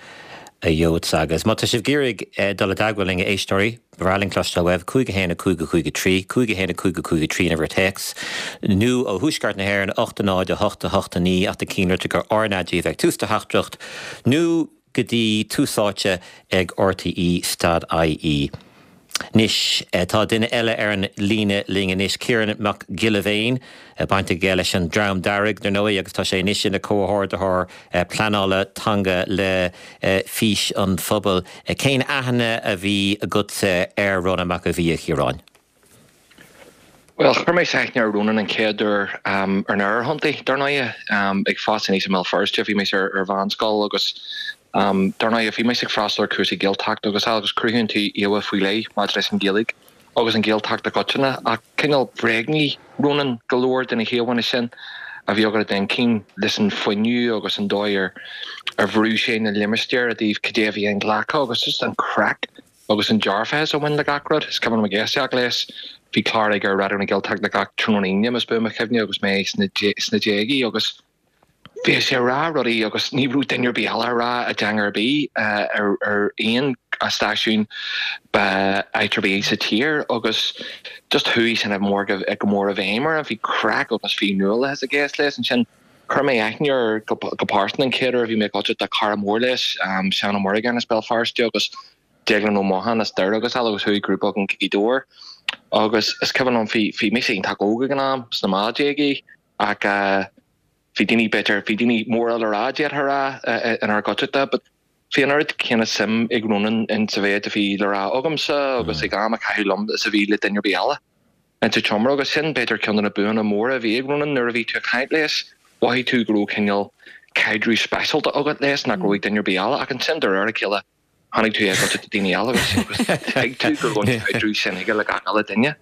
a Gheobhadsa. Agus má tá sibh ag iarraidh dul i dteagmháil linn, a éisteoirí, ba bhreá linn cloisteáil uaibh, 5 1 5 5 3, 5 1 5 5 3 an uimhir téacs, nó ó Thuaisceart na hÉireann, 8 0 8 8 9, ach déan cinnte gur RnaG a bheidh ag tús do theachtaireacht, nó go dtí Tús Áite ag RTÉ stad IE. Anois, tá duine eile ar an líne linn anois, Ciarán Mac Giolla Bhéin, baint aige leis an Dream Dearg, dar ndóigh, agus tá sé anois ina chomhordaitheoir pleanála teanga le Fís an Phobail. Cén aithne a bhí agatsa ar Rónán Mac Aodha Bhuí, a Chiaráin? Bhuel, chuir mé aithne ar Rónán an chéad uair ar an aerthonntaí, dar ndóighe. Ag fás aníos i mBéal Feirste, bhí mise ar mheánscoil agus dar ndóighe bhí mise ag freastal ar chúrsaí Gaeltachta agus agus cruthaíonn tú íomhá faoi leith maidir leis an Ghaeilge agus an Ghaeltacht i gcoitinne ach cineál bhréagnaigh Rónán go leor de na híomhánna sin a bhí agat i d'inchinn leis an fuinneamh agus an dóigh ar ar bhrúigh sé na limistéir i dtaobh cad é a bhí inghlactha agus just an craic agus an dearfachas a bhain le gach rud. Is cuimhin liom ag éisteacht leis, bhí clár aige ar Raidió na Gaeltachta gach tráthnóna Aoine, más buan mo chuimhne, agus mé sna déagaí agus bhíodh sé ag rá rudaí agus ní raibh duine ar bith eile á rá i dteanga ar bith ar aon stáisiún áit ar bith sa tír agus just chuaigh sin go mór i bhfeidhm orm. Bhí craic agus bhí nuálachas i gceist leis ansin. Chuir mé aithne air go pearsanta an chéad uair a bhí mé ag gabháil do cara mór leis, Seán Ó Muireagáin as Béal Feirste agus Déaglán Ó Mocháin as Doire agus eile agus chuaigh grúpa againn go Gaoth Dobhair agus is cuimhin liom bhí bhí mise iontach óg ag an am, sna meán-déagaí ach bhí daoine b'fhéidir, bhí daoine móra le rá d'fhéadfá a rá inár gcuideachta but bhí an oiread céanna suim ag Rónán in sa mhéid a bhí le rá agamsa agus ag am a chaitheamh liom is a bhí le duine ar bith eile. Insa tseomra agus sin b'fhéidir ceann de na buanna móra a bhí ag Rónán nuair a bhí tú ag caint leis, mhothaigh tú go raibh cineál caidreamh speisialta agat leis nach raibh ag duine ar bith eile ach ansin de réir a chéile tháinig tú i gcuideachta daoine eile agus thuig tú go raibh an caidreamh sin aige le gach uile duine.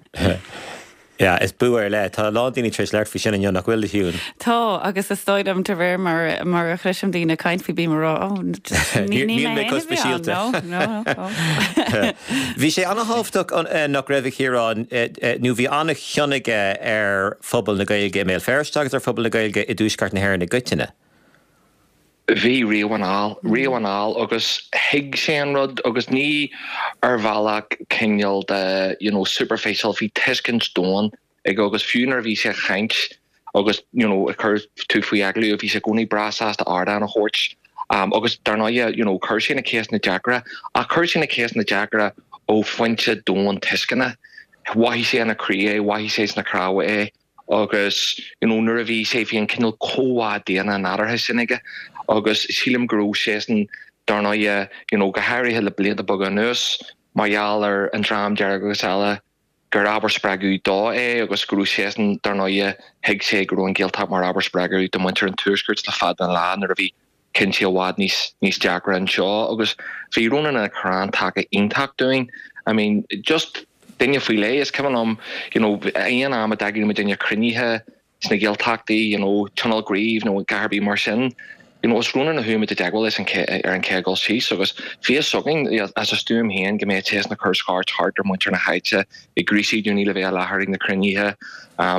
Yeah, is bua ar leith. Tá a lán daoine tar éis labhairt faoi sin inniu, nach bhfuil, a Shiún? Tá, agus is dóigh liom de réir mar mar a chloisim daoine ag caint faoi bím ag rá, oh, just ní Níl mé mé féin chomh a bhí ann, speisialta. no, no, no. Bhí sé an-thábhachtach nach raibh a Chiaráin, nó bhí an-chion aige ar phobal na Gaeilge i mBéal Feirste agus ar phobal na Gaeilge i dTuaisceart na hÉireann i gcoitinne. Bhí riamh anall, riamh anall agus thuig sé an rud agus ní ar bhealach cineál de you know superficial, bhí tuiscint domhain aige agus fiú nuair a bhí sé ag caint agus you know ag cur tú faoi agallamh bhí sé i gcónaí breá sásta ardán a thabhairt agus dar ndóighe you know chuir sé na ceisteanna deacra ach chuir sé na ceisteanna deacra ó phointe domhain tuisceana. Mhothaigh sé ina chroí é, mhothaigh sé sna cnámha é agus you know nuair a bhí sé bhí an cineál comhbhá daonna nádúrtha sin aige agus sílim go raibh seisean dar ndóighe you know go háirithe le blianta beaga anuas mar gheall ar an Dream Dearg agus eile gur ábhar spreagaidh dó é agus go raibh seisean, dar ndóighe, thuig sé go raibh an Ghaeltacht mar ábhar spreagaidh do mhuintir an Tuaiscirt le fada an lá nuair a bhí cinntí i bhfad níos níos deacra anseo agus bhí Rónán ina chrann taca iontach dúinn. I mean, just. duine faoi leith. Is cuimhin liom, you know, aon am a d'eagraigh muidinne cruinnithe sna Gaeltachtaí, you know, Tionól Gnímh nó a dhath ar bith mar sin, you know, is Rónán a chuaigh muid i dteagmháil leis ar an chéad dul síos agus bhí fhios againn as a stuaim féin go mbeadh sé ag cur scairt thart ar mhuintir na háite ag gríosadh daoine le bheith i láthair ag na cruinnithe,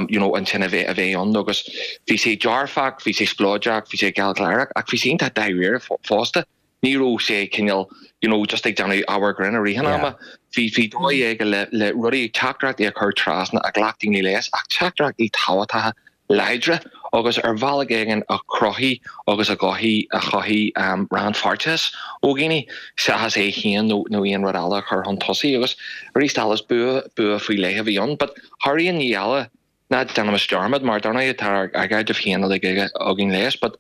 you know, ansin a bheith a bheith ann agus bhí sé dearfach, bhí sé spleodrach, bhí sé gealgháireach ach bhí sé iontach dáiríre fosta. Ní raibh sé cineál, you know, just ag déanamh ábhar grinn i rith an ama. Bhí, bhí dóigh aige le, le rudaí, teachtaireachtaí a chur trasna a ghlac daoine leis ach teachtaireachtaí tábhachtacha láidre agus ar bhealach éigin a chruthaigh agus a chothaigh, a chothaigh rannpháirteachas ó dhaoine seachas é féin nó, nó aon rud eile a chur chun tosaigh agus arís eile is bua, bua faoi leith a bhí ann. But thar aon ní eile, Ná déanaimis dearmad, mar dar ndóigh tá ár gcaidreamh féin uilig againn leis, but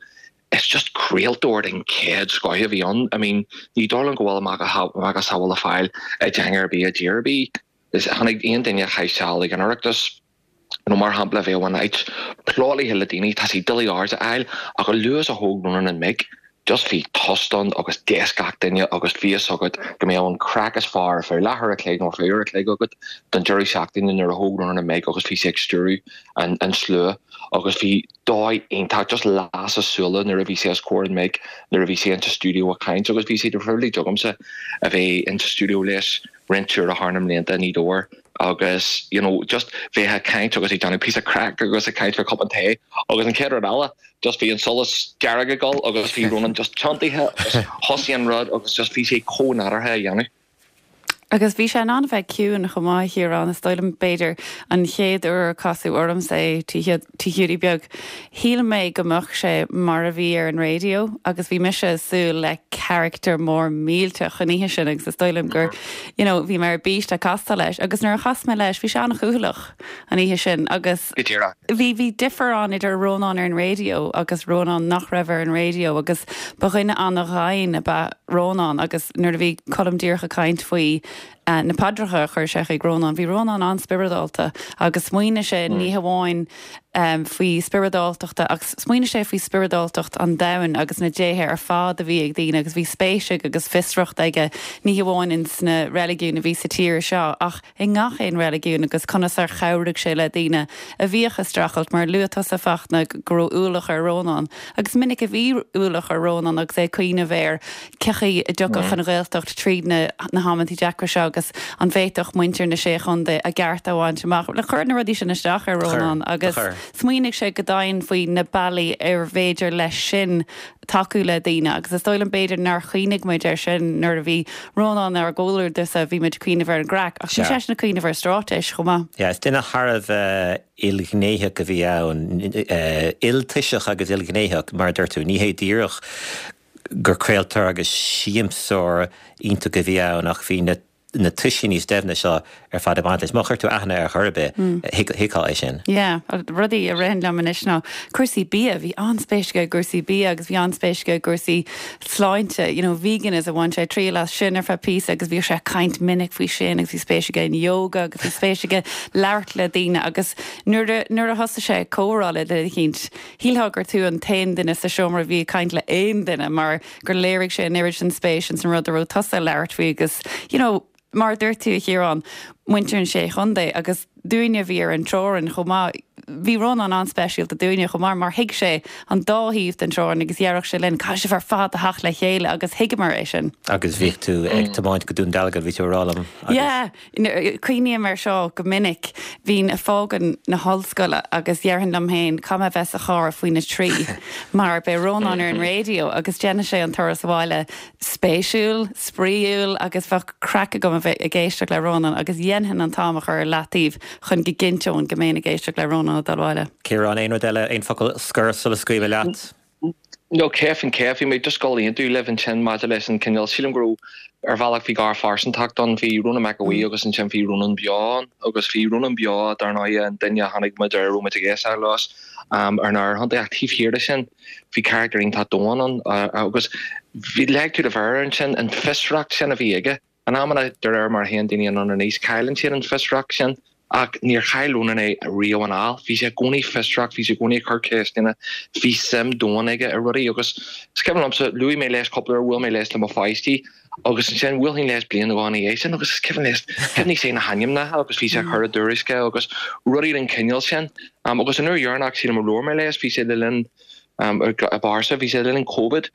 it's just craoltóir den chéad scoth a bhí ann. I mean, ní dóigh liom go bhfuil a mhacasamhail le fáil i dteanga ar bith i dtír ar bith. Is tháinig aon duine a chaith seal ag an Oireachtas, nó mar shampla bheadh an áit plódaithe le daoine, tá siad doiligh aird a fháil, ach a luaithe is a thóg Rónán an mic, Just bhí tost ann agus d'éist gach duine agus bhí fhios agat go mbeadh an craic is fearr ar feadh leathuair a chloig nó ar feadh uair a chloig agat don deireadh seachtaine nuair a thóg Rónán an mic agus bhí sé ag stiúradh an an slua agus bhí dóigh iontach just las a súile nuair a bhí sé os comhair an mic nuair a bhí sé insa stiúideo ag caint agus bhí sé de phribhléid agamsa a bheith insa stiúideo leis roinnt uaire thar na mblianta i nGaoth Dobhair agus you know just bheith ag caint agus ag déanamh píosa craic agus ag caint fá cupán tae agus an chéad rud eile just bhí an solas dearg ag dul agus bhí Ronan just tiontaithe agus thosaigh an rud agus just bhí sé chomh nádúrtha a dhéanamh. Agus bhí sé in ann a bheith ciúin chomh maith, a Chiaráin, is dóigh liom, b'fhéidir, an chéad uair a casadh ormsa é, Tigh Hiúdaí Beag, shíl mé go mbeadh sé mar a bhí ar an raidió agus bhí mise ag súil le character mór millteach an oíche sin agus is dóigh liom gur, you know, bhí mé ar bís le castáil leis agus nuair a chas mé leis bhí sé an-chúthaileach. an oíche sin agus Go díreach. bhí, bhí difear ann idir Rónán ar an raidió agus Rónán nach raibh ar an raidió agus ba dhuine an-dhoimhin ab ea Rónán agus nuair a bhí Colm díreach ag caint faoi na paidreacha a chuir sé chuig Rónán, bhí Rónán an-spioradálta agus smaoinigh sé ní hamháin faoi spioradáltachta ach smaoinigh sé faoi spioradáltacht an domhain agus na déithe ar fad a bhí ag daoine agus bhí spéis aige agus fiosracht aige ní hamháin ins na reiligiúin a bhí sa tír seo ach i ngach aon reiligiún agus conas ar chabhraigh sé le daoine a bhíodh ag streachailt, mar luaigh tusa, Fachtna, go raibh ualach ar Rónán agus minic a bhí ualach ar Rónán agus é ag cuimhneamh ar cén chaoi a dtiocfadh an Ghaeltacht tríd na na hamantaí deacra seo agus an bhféadfadh muintir na Sé Chontae a gcearta a bhaint amach. Chuir na rudaí sin isteach ar Rónán agus smaoinigh sé go domhain faoi na bealaí ar bhféidir leis sin tacú le daoine agus is dóigh liom b'fhéidir nár chuimhnigh muid air sin nuair a bhí Rónán inár gcomhluadar sa bhí muid ag cuimhneamh ar an gcraic ach bhí seisean ag cuimhneamh ar straitéis chomh maith. Yeah, is duine thar a bheith ilghnéitheach a bhí ann, iltoiseach agus ilghnéitheach, mar a dúirt tú. Ní hé díreach gur craoltóir agus siamsóir iontach a bhí ann ach bhí na na toisí níos doimhne seo ar fad ag baint leis. Má chuir tú aithne air chor ar bith, thuigfeá é sin. Yeah, rudaí a ritheann liom anois ná cúrsaí bia, bhí an-spéis aige i gcúrsaí bia agus bhí an-spéis aige i gcúrsaí sláinte, you know, veganism, bhain sé triail as sin ar feadh píosa agus bhíodh sé ag caint minic faoi sin agus bhí spéis aige in yoga agus bhí spéis aige labhairt le daoine agus nuair a, nuair a thosaigh sé ag comhrá le duine eicínt, shílfeá gur tú an t-aon duine sa seomra a bhí ag caint le aon duine mar gur léirigh sé an oiread sin spéis ins an rud a raibh tusa ag labhairt faoi agus you know mar a dúirt tú a Chiaráin, muintir an Sé Chontae agus dúinne a bhí ar an teorainn chomh maith, bhí Rónán an-speisialta dúinne chomh maith mar thuig sé an dá thaobh den teorainn agus dhéarfadh sé linn caithfidh sibh ar fad a theacht le chéile agus thuigeamar é sin. Agus bhíodh tú ag tiomáint go Dún Dealgan, bhí tú ag rá liom agus. Yeah. Cuimhním air seo go minic. Bhínn ag fágaint na hollscoile agus dhéarfainn liom féin, caithfidh mé a bheith sa charr faoina trí mar beidh Rónán ar an raidió agus déanfaidh sé an turas abhaile spéisiúil, spraíúil agus bheadh craic agam a bheith ag éisteacht le Rónán agus dhéanfainn an t-am a chur ar leataobh chun go gcinnteoinn go mbeinn ag éisteacht le Rónán ag dul abhaile. Ciarán, aon rud eile, aon focal scoir sula scaoilfidh mé leat? No, 100%, bhí mé just ag gabháil a aontú libh ansin maidir leis an cineál, sílim go raibh, ar bhealach bhí garphearsantacht ann, bhí Rónán Mac Aodha Bhuí agus ansin bhí Rónán Beo ann agus bhí Rónán Beo dar ndóigh an duine a chonaic muid ar a raibh muid ag éisteacht leis ar an R-Chontae ach taobh thiar de sin bhí carachtar iontach domhain ann agus bhí, leag tú do mhéar air ansin, an fiosracht sin a bhí aige. In amanna, de réir mar a théann daoine anonn in aois, cailleann siad an fiosracht sin. Ach níor chaill Rónán é riamh anall. Bhí sé i gcónaí fiosrach, bhí sé i gcónaí ag cur ceisteanna, bhí suim domhain aige i rudaí agus is cuimhin liomsa, luaigh mé leis cúpla uair, bhuail mé leis le mo pháistí. Agus ansin bhuailfinn leis bliain nó dhó ina dhiaidh sin agus is cuimhin leis, chuimhnigh sé na hainmneacha agus bhí sé ag cur i dtuairisce agus rudaí den chineál sin. Agus an uair dheireanach sílim a labhair mé leis bhí sé le linn i bpearsa, bhí sé le linn Covid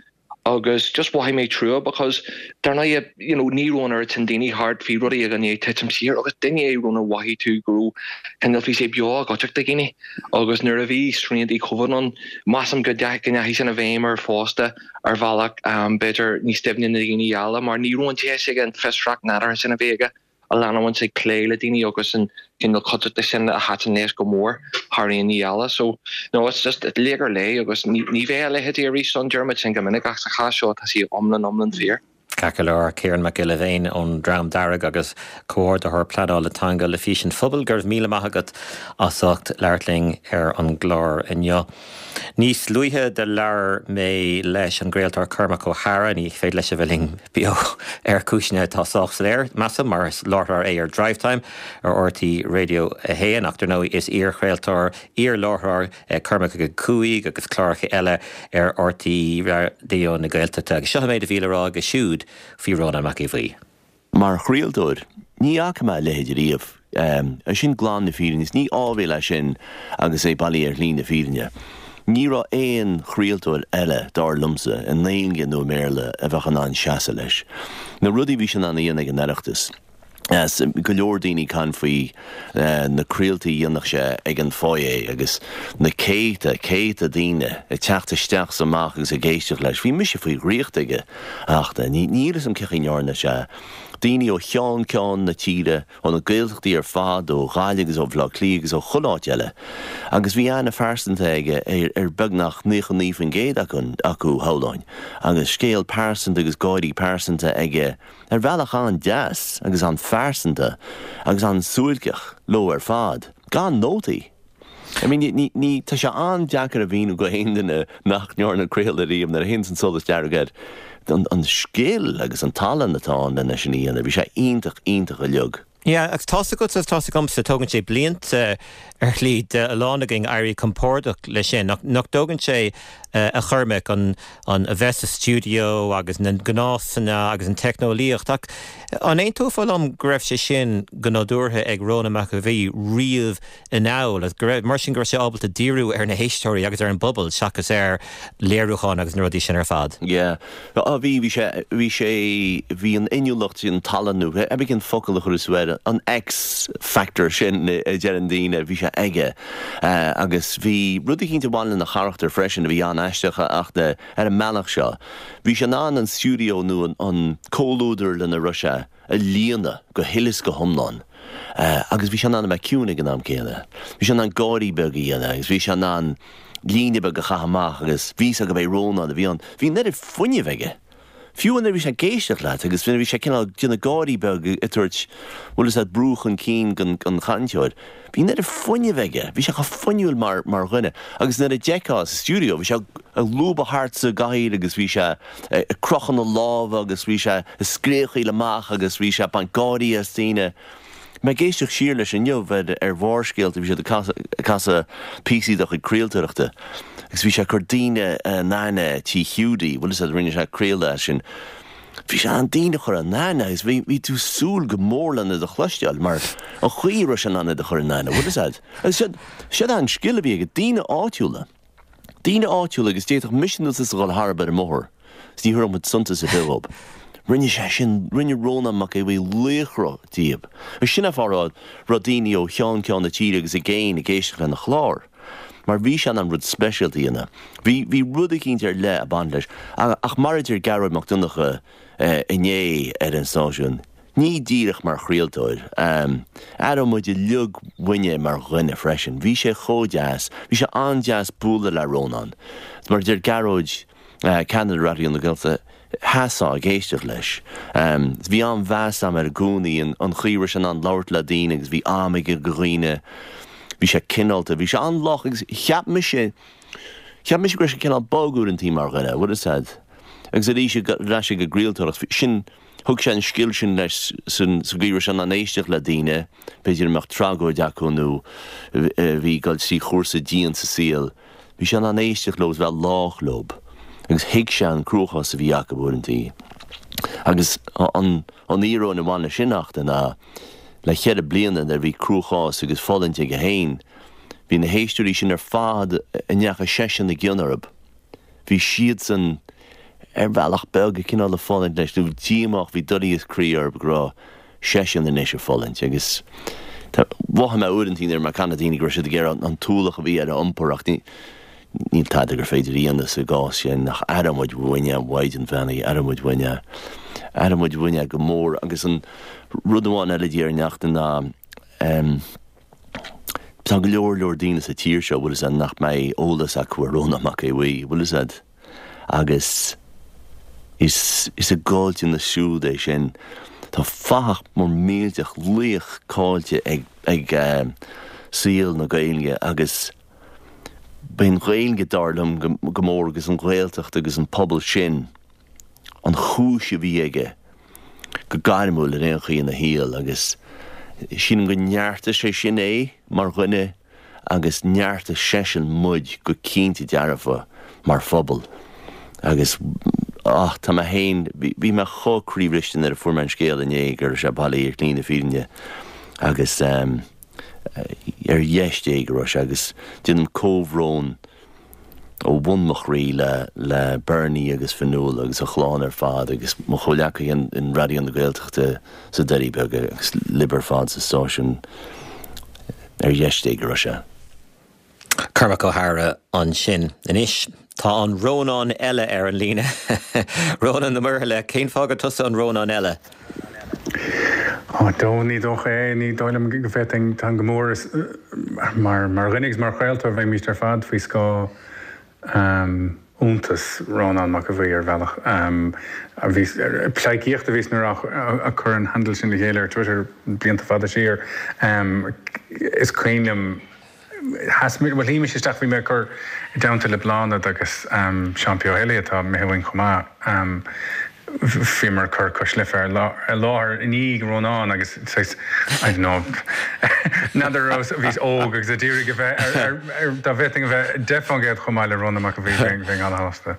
agus just mhothaigh mé trua because dar ndóigh you know ní raibh an oiread sin daoine thart, bhí rudaí i ndiaidh titim siar agus duine é Rónán mhothaigh tú go raibh cineál bhí sé beo i gcuideachta daoine agus nuair a bhí sriantaí Covid ann measaim go ndeachaigh sin i bhfeidhm air fosta. ar bhealach b'fhéidir níos doimhne na daoine eile mar ní raibh an deis aige an fiosracht nádúrtha sin a bhí aige a leanúint ag plé le daoine agus an cineál cuideachta sin a thaitin leis go mór thar aon ní eile. So, no, it's just laoch ar leith agus ní bheidh a leithéidí arís ann, deirimid sin go minic ach sa chás seo tá sé iomlán iomlán fíor. Ceart go leor, Ciarán Mac Giolla Bhéin ón Dream Dearg agus Comhordaitheoir Pleanála Teanga le Fís an Phobail, go raibh míle maith agat as ucht labhairt linn ar an gclár inniu. Níos luaithe do labhair mé leis an gcraoltóir Cormac Ó hEadhra, ní féidir leis a bheith linn beo ar chúiseanna atá sách soiléir, measaim, mar is láithreoir é ar Drivetime ar RTÉ Radio 1, ach dar ndóigh is iar-chraoltóir, iar-láithreoir é Cormac ag a 5 agus cláracha eile ar RTÉ Raidió na Gaeltachta. Agus seo an méid a bhí le rá aige siúd faoi Rónán Mac Aodha Bhuí. Mar chraoltóir, ní fhaca mé a leithéid riamh. Sin glan na fírinne. Is ní áibhéil é sin agus é bailí ar shlí na fírinne. Ní raibh aon chraoltóir eile, dar liomsa, i nGaeilge nó i mBéarla, a bheadh in ann seasamh leis. Na rudaí a bhí sé in ann a dhéanamh ag an Oireachtas. Go leor daoine ag caint faoi na craoltaí a dhéanadh sé ag an foyer agus na céadta, céadta daoine ag teacht isteach is amach agus ag éisteacht leis. Bhí mise faoi dhraíocht aige ach níl fhios agam cén chaoi a ndearna sé. Daoine ó cheann ceann na tíre, ó na Gaeltachtaí ar fad, ó Ghaillimh agus ó Bhaile Átha Cliath agus ó chuile áit eile. Agus bhí aithne phearsanta aige ar beagnach 99% acu, shamhlóinn. Agus scéal pearsanta agus gáirí pearsanta aige. ar bhealach an-deas agus an-phearsanta agus an-suáilceach leo ar fad, gan nótaí. I mean, ní, ní, tá sé an-deacair a mhíniú go haon duine nach ndearna craoladh riamh nuair a théanns an solas dearg air, an, an scil agus an tallann atá ann lena sin a dhéanamh. Bhí sé iontach, iontach uilig. Yeah, agus tá's agatsa agus tá's agamsa, tógann sé blianta ar shlí do a lán againn éirí compordach leis sin. Nach, nach dtógann sé, a Chormaic, an, an, a bheith sa stiúideo agus na gnásanna agus an teicneolaíocht ach an aontófá liom go raibh sé sin go nádúrtha ag Rónán Mac Aodha Bhuí riamh anall agus go raibh, mar sin go raibh sé ábalta díriú ar na héisteoirí agus ar an bpobal seachas ar léiriúchán agus na rudaí sin ar fad. Yeah. Á bhí, bhí sé, bhí sé, bhí an inniúlacht, an tallann nó cibé cén focal a chuirfeas tú air, an X factor sin a deireann daoine, bhí sé aige. Agus bhí rud eicínt a bhain lena charachtar freisin a bhí an-aisteach ach ar an mbealach seo, bhí sé in ann an stiúideo nó an comhluadar lena raibh sé, a líonadh go huile is go hiomlán agus bhí sé in ann a bheith ciúin ag an am céanna. Bhí sé in ann gáirí beag a dhéanamh agus bhí sé in ann líne beag a chaitheamh amach agus bhí fhios agat gurb é Rónán a bhí ann. Bhí an oiread fuinnimh aige. Fiú nuair a bhí sé ag éisteacht leat agus nuair a bhí sé cineál ag déanamh gáirí beag ag tabhairt, bhfuil fhios agat, brú chun cinn don chainteoir. Bhí an oiread fuinnimh aige. Bhí sé chomh fuinniúil mar mar dhuine. Agus nuair a d'fheicfeá sa stiúideo, bhí sé ag lúbadh thart sa gcathaoir agus bhí sé ag crochadh na lámha agus bhí sé ag scréachaíl amach agus bhí sé ag baint gáirí as daoine. Mé ag éisteacht siar leis inniu ar ar Bharrscéalta, bhí siad ag casadh píosaí dá chuid craoltóireachta agus bhí sé ag cur daoine in aithne tí Hiúdaí, bhfuil fhios agat, rinne sé craoladh as sin. Bhí sé in ann daoine a chur in aithne agus bhí bhí tú ag súil go mór lena iad a chloisteáil mar an chaoi a raibh sé in ann iad a chur in aithne, bhfuil fhios agat. Agus siod siod an scil a bhí aige, daoine áitiúla. Daoine áitiúla agus d'fhéadfadh mise nó tusa dhul tharab ar an mbóthar is ní thabharfadh muid suntas ar bith dhób. Rinne sé sin, rinne Rónán Mac Aodha Bhuí laochra díob. Agus sin an fáth a raibh daoine ó cheann ceann na tíre agus i gcéin ag éisteacht lena chlár. Mar bhí sé in ann rud speisialta a dhéanamh. Bhí, bhí rud eicínt ar leith ag baint leis. Ach mar a deir Gearóid Mac Donncha inné ar an stáisiún, ní díreach mar chraoltóir, aireoidh muid uilig uainn é mar dhuine freisin. Bhí sé chomh deas. Bhí sé an-deas bualadh le Rónán. Mar a deir Gearóid, ceannaire Raidió na Gaeltachta, sheasfá ag éisteacht leis. Bhí an-mheas agam air i gcónaí, an chaoi a raibh sé in ann labhairt le daoine agus bhí am aige do dhaoine. Bhí sé cineálta, bhí sé an-lách agus cheap mise, cheap mise go raibh sé cineál bog uaireantaí mar dhuine, bhfuil fhios a'd. Agus arís ar ais ag an gcraoltóireacht, sin, thug sé an scil sin leis sa gcaoi a raibh sé in ann éisteacht le daoine, b'fhéidir a mbeadh tragóid acu nó a bhí ag dul trí chúrsa dian sa saol. Bhí sé in ann éisteacht leo agus bheith lách leo agus thuig sé an cruachás a bhí acu uaireantaí. Agus an íoróin a bhain leis sin ach ná, le cheithre bliana nuair a bhí cruachás agus fulaingt aige féin, bhí na héisteoirí sin ar fad a ndeachaigh seisean i gcion orthu, bhí siadsan ar bhealach beag cineál ag fulaingt leis, nó díomách, bhí doilíos croí orthu go raibh seisean anois ag fulaingt. Agus mhothaigh mé uaireanta nuair a bhí mé ag caint le daoine go raibh siad ag iarraidh an t-ualach a bhí air a iompar ach ní Níl tada gur féidir a dhéanamh sa gcás sin ach aireoidh muid uainn é, a Mhaighdean Bheannaithe, aireoidh muid uainn é. Aireoidh muid uainn é go mór. Agus an rud amháin eile a déarfainn Neachtain ná tá go leor leor daoine sa tír seo, bhfuil fhios a'd, nach mbeidh eolas acu ar Rónán Mac Aodha Bhuí, bhfuil fhios a'd. Agus is is a gcaillteanas siúd é sin. Tá fathach mór millteach, laoch caillte ag ag saol na Gaeilge agus B'é an Ghaeilge, dar liom, go mór agus an Ghaeltacht agus an pobal sin an chúis a bhí aige go gairmiúil ar aon chaoi ina shaol agus sílim gur neartaigh sé sin é mar dhuine agus neartaigh seisean muid go cinnte dearfa mar phobal agus ah tá mé féin, bhí mé chomh croíbhriste nuair a fuair mé an scéal inné go raibh sé bailithe ar shlí na fírinne agus eh. Ar dheis Dé go raibh sé agus déanaim comhbhrón ó bhun mo chroí le le Bernie agus Fionnuala agus a chlann ar fad agus mo chomhleacaithe in Raidió na Gaeltachta sna Doirí Beaga agus libh ar fad sa stáisiún. Ar dheis Dé go raibh sé. Cormac Ó hEadhra ansin. Anois, tá an Rónán eile ar an líne. Rónán Ó Muirthile, cén fáth gur tusa an Rónán eile? Ó, dó, ní dócha é. Ní dóigh liom go bhféadfainn, táim go mór mar mar dhuine agus mar chraoltóir bheimíst ar fad faoi scáth iontas Rónán Mac Aodha Bhuí ar bhealach. A bhí, pleidhcíocht a bhíos nuair a cuireadh an handle sin le chéile ar Twitter blianta fada siar. Is cuimhin liom Sheas mé, bhuel shuigh mise isteach, bhí mé ag cur i dteannta le Bláthnaid agus Seán P. Ó hÉalaithe atá imithe uainn chomh maith, bhíomar ag cur Cois Life i láthair i ndiaidh Rónán agus saghas, I don't know, n'fheadar raibh, bhíos óg agus ag iarraidh a bheith ar, ar, dá bhféadfainn a bheith 10% chomh maith le Rónán Mac Aodha Bhuí bheinn, bheinn an-shásta.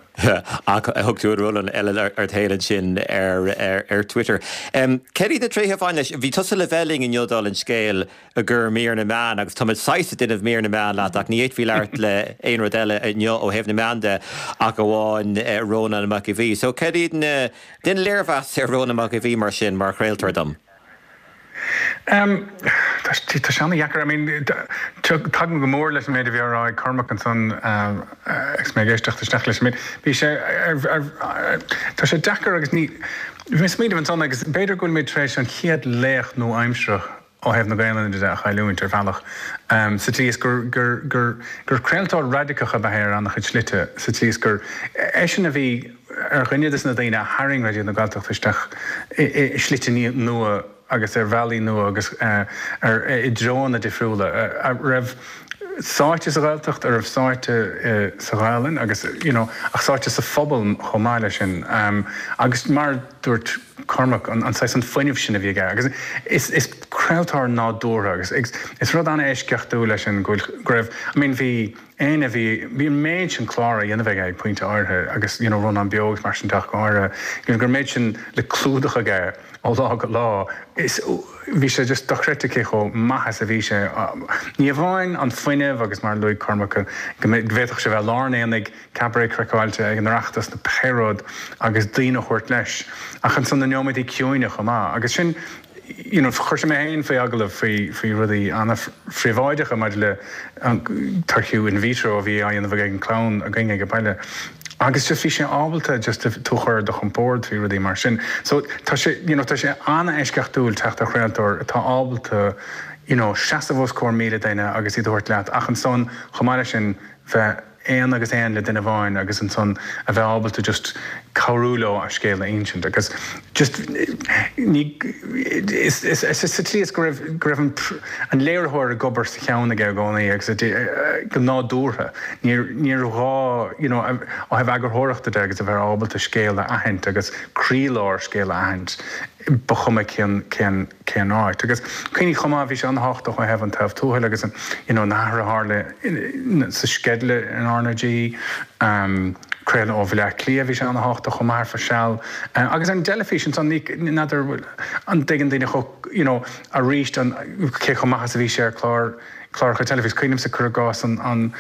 Ach thug tú an Rónán eile ort féin ansin ar, ar Twitter. Céard iad na tréithe a bhain leis? Bhí tusa le bheith linn inniu dála an scéil, i gcomhair mír na meán agus táimid saghas ag déanamh mír na meán leat ach ní fhéadfaí labhairt le aon rud eile inniu ó thaobh na meán de ach amháin Rónán Mac Aodha Bhuí. So céard iad na, déan léirmheas ar Rónán Mac Aodha Bhuí mar sin mar chraoltóir dom? Em, tá tá sé an-dheacair, I mean tagaim go mór leis an méid a bhí á rá ag Cormac ansan agus mé ag éisteacht isteach leis. I mean bhí sé ar ar tá sé deacair agus ní, bhí mé ag smaoineamh ansan agus b'fhéidir go bhfuilimid tar éis an chéad laoch nua-aimseartha ó thaobh na Gaelainne de a chailliúint, ar bhealach, sa tslí is gur, gur, gur, gur craoltóir raidiceach ab ea é ar an-chuid slite, sa tslí is gur eisean a bhí ar dhuine de na daoine a tharraing Raidió na Gaeltachta isteach i slite nua agus ar bhealaí nua agus ar, i dtreonna difriúla, a raibh sáite sa Ghaeltacht, a raibh sáite sa Ghaelainn agus, you know, ach sáite sa phobal chomh maith leis sin. Agus mar. dúirt Cormac, an saghas, an fuinneamh sin a bhí aige agus is, is craoltóir nádúrtha agus is rud an-eisceachtúil é sin go bhfuil, go raibh, I mean bhí éinne, bhí, bhí an méid sin clár á dhéanamh aige ag pointe áirithe agus you know Rónán Beo agus mar sin de ach go háirithe, you know go raibh an méid sin le clúdach aige ó lá go lá, is, bhí sé just dochreidte cé chomh maith is a bhí sé, ní amháin an fuinneamh agus mar a luaigh Cormac go bhféadfadh sé bheith i lár an aonaigh, Cabaret craiceáilte ag an Oireachtas nó pé rud agus daoine a thabhairt leis. Ach ansan na neomaidí ciúine chomh maith. Agus sin, you know, chuir sé mé féin faoi agallamh faoi, faoi rudaí an-phríobháideacha maidir le an toirchiú in vitro a bhí á dhéanamh ag an clann againn ag an baile. Agus just bhí sé ábalta just tú a chur ar do chompord faoi rudaí mar sin. So tá sé, you know, tá sé an-eisceachtúil teacht ar chraoltóir atá ábalta, you know, seasamh os comhair 1,000 duine agus iad a thabhairt leat ach ansan chomh maith leis sin bheith aon agus aon le duine amháin agus ansan a bheith ábalta just cabhrú leo a scéal a insint agus just ní is is is sa tslí is go raibh go raibh an an léiritheoir ag obair sa cheann aige i gcónaí agus go nádúrtha níor níor ghá you know ó thaobh eagarthóireachta de agus a bheith ábalta scéal a aithint agus croílár scéal a aithint ba chuma cén cén cén áit. Agus cuimhnigh chomh maith, bhí sé an-tábhachtach ó thaobh an taobh tuathail agus an, you know, na hathruithe a tharla sa sceideal in RnaG. Craoladh ó Bhaile Átha Cliath, bhí sé ana-thábhachtach chomh maith ar feadh seal. Agus ar an dteilifís ansan, ní, n'fheadar an dtuigeann daoine chomh, you know, arís an, cé chomh maith is a bhí sé ar chlár, cláracha teilifíse. Cuimhnímse, cuir i gcás, an, an,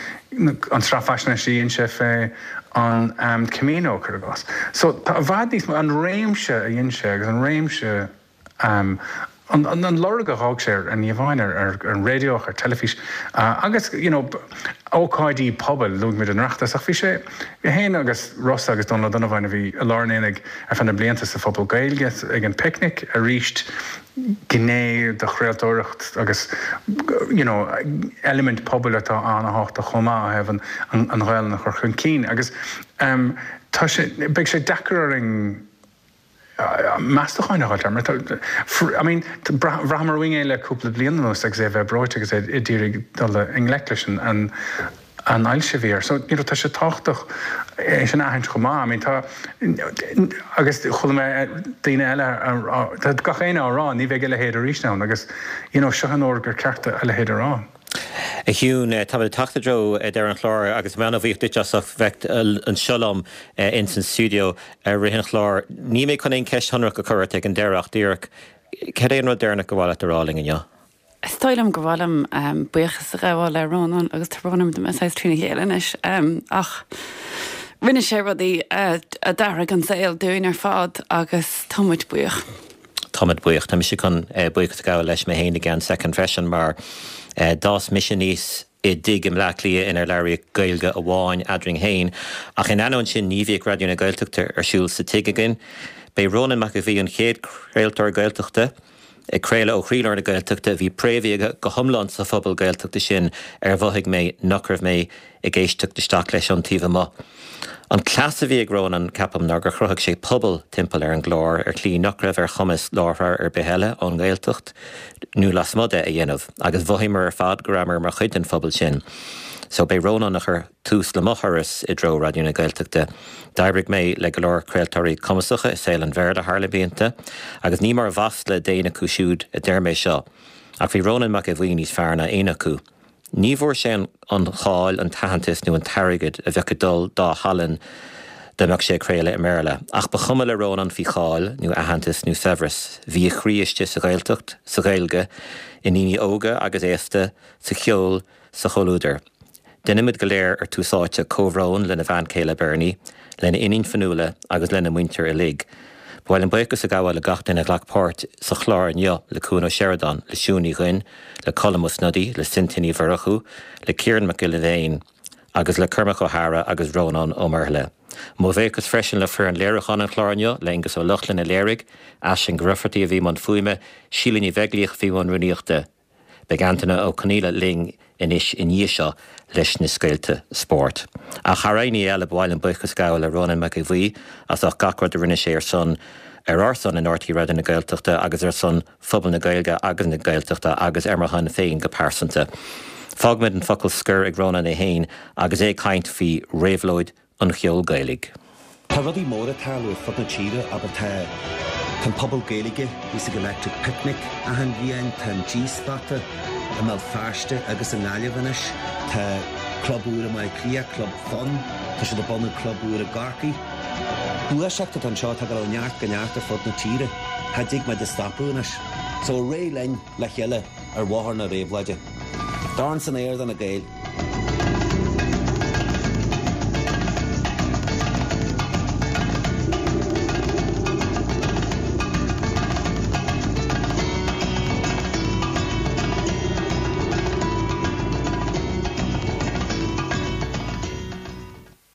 an tsraith faisnéise a dhein sé fé an Camino, cuir i gcás. So tá i bhfad níos mó, an réimse a dhein sé agus an réimse, an lorg a dh'fhág sé ar, ní amháin ar an raidió ach ar teilifís agus you know ócáidí pobail, luaigh muid an Oireachtas ach bhí sé, é féin agus Rossa agus Dónal Ó Donnabháin a bhí i lár an aonaigh ar feadh na blianta sa phuball Gaeilge ag an Picnic arís gné de chraoltóireacht agus you know eilimint pobail atá an-thábhachtach chomh maith ó thaobh an Ghaelainn a chur chun cinn agus tá sé, beidh sé deacair orainn meastacháin a dh'fháilt air mar tá, I mean, bhraitheamar uainn é le cúpla bliain anuas agus é a bheith breoite agus é ag iarraidh dul i ngleic leis an an ailse a bhí air. So, you know, tá sé tábhachtach é sin a aithint chomh maith. I mean, tá, agus chuala mé daoine eile, tá gach éinne á rá, ní bheidh a leithéid arís ann agus, you know, seo an uair gur ceart a leithéid a rá. A Shiún, táimid ag teacht i dtreo deireadh an chláir agus mé an-bhuíoch duit as ucht bheith anseo liom ins an stiúideo i rith an chláir. Níl mé chun aon cheist shonrach a chur ort ag an deireadh ach díreach, cad é an rud deireanach gur mhaith leat a rá linn inniu? Is dóigh liom gur mhaith liom buíochas a ghabháil le Rónán agus tá brón orm tá mé saghas trína chéile anois ach rinne sé rudaí a d'athraigh an saol dúinn ar fad agus tá muid buíoch. Táimid buíoch. Tá mise chun buíochas a ghabháil leis mé féin i gceann soicind freisin mar d'fhás mise aníos i dtigh i mBleá Cliath inar labhraíodh Gaeilge amháin eadrainn féin ach in ainneoin sin ní bhíodh Raidió na Gaeltachta ar siúl sa tigh againn. B'é Rónán Mac Aodha Bhuí an chéad chraoltóir Gaeltachta ag craoladh ó chroílár na Gaeltachta a bhí préamhaithe go hiomlán sa phobal Gaeltachta sin ar mhothaigh mé nach raibh mé ag éisteacht isteach leis ón taobh amuigh. An cleas a bhí ag Rónán, ceapaim, ná gur chruthaigh sé pobal timpeall ar an gclár ar shlí nach raibh ar chumas láithreoir ar bith eile ón nGaeltacht nó lasmuigh de a dhéanamh, agus mhothaíomar ar fad go rabhamar mar chuid den phobal sin. So b'é Rónán a chuir tús le mo thuras i dtreo Raidió na Gaeltachta. D'oibrigh mé le go leor craoltóirí cumasacha i saol an Bhéarla thar na blianta, agus ní mar mhasla d'éinne acu siúd a deir mé seo, ach bhí Rónán Mac Aodha Bhuí níos fearr ná éinne acu. Ní bhfuair sé an cháil, an t-aitheantas nó an t-airgead a bheadh ag dul dá thallann dá mbeadh sé ag craoladh i mBéarla. Ach ba chuma le Rónán faoi cháil nó aitheantas nó saibhreas. Bhí a chroí istigh sa Ghaeltacht, sa Ghaeilge, i ndaoine óga agus aosta, sa cheol, sa chomhluadar. Deinimid go léir ar Tús Áite comhbhrón lena bhean chéile Bernie, lena iníon Fionnuala agus lena muintir uilig. Ba mhaith liom buíochas a ghabháil le gach duine a ghlac páirt sa chlár inniu, le Cuan Ó Seireadáin, le Siún Ní Dhuinn, le Colm Ó Snodaigh, le Cynthia Ní Mhurchú, le Ciarán Mac Giolla Bhéin agus le Cormac Ó hEadhra agus Rónán Ó Muirthile. Mo bhuíochas freisin le foireann léiriúcháin an chláir inniu, le Aengus Ó Lochlainn a léirigh, Aisling Raifeartaigh a bhí i mbun fuaime, Síle Ní Bheaglaoich a bhí i mbun rúnaíochta. Beidh Antaine Ó Conaola linn anois i ndiaidh seo leis na scéalta spóirt. Ach thar aon ní eile, ba mhaith liom buíochas a ghabháil le Rónán Mac Aodha Bhuí as ucht gach rud a rinne sé ar son, ar ár son in RTÉ Raidió na Gaeltachta agus ar son phobal na Gaeilge agus na Gaeltachta agus ar mo shon féin go pearsanta. Fágfaimid an focal scoir ag Rónán é féin agus é ag caint faoi réabhlóid an cheoil Ghaelaigh. Tá rudaí móra ag tarlú ar fud na tíre, abair tá tá an Puball Gaeilge a bhíos ag Electric Picnic achan bhliain, tá an G-Spota i mBéal Feirste agus i nGaillimh anois, tá club úr i mBaile Átha Cliath, Club Fonn, tá siad ag bunú club úr i gCorcaigh. Gluaiseacht atá anseo atá ag dul ó neart go neart ar fud na tíre. Cha dtig muid a stopadh anois. So ar aghaidh linn le chéile ar bhóthar na réabhlóide. Dorn san aer do na Gaeil.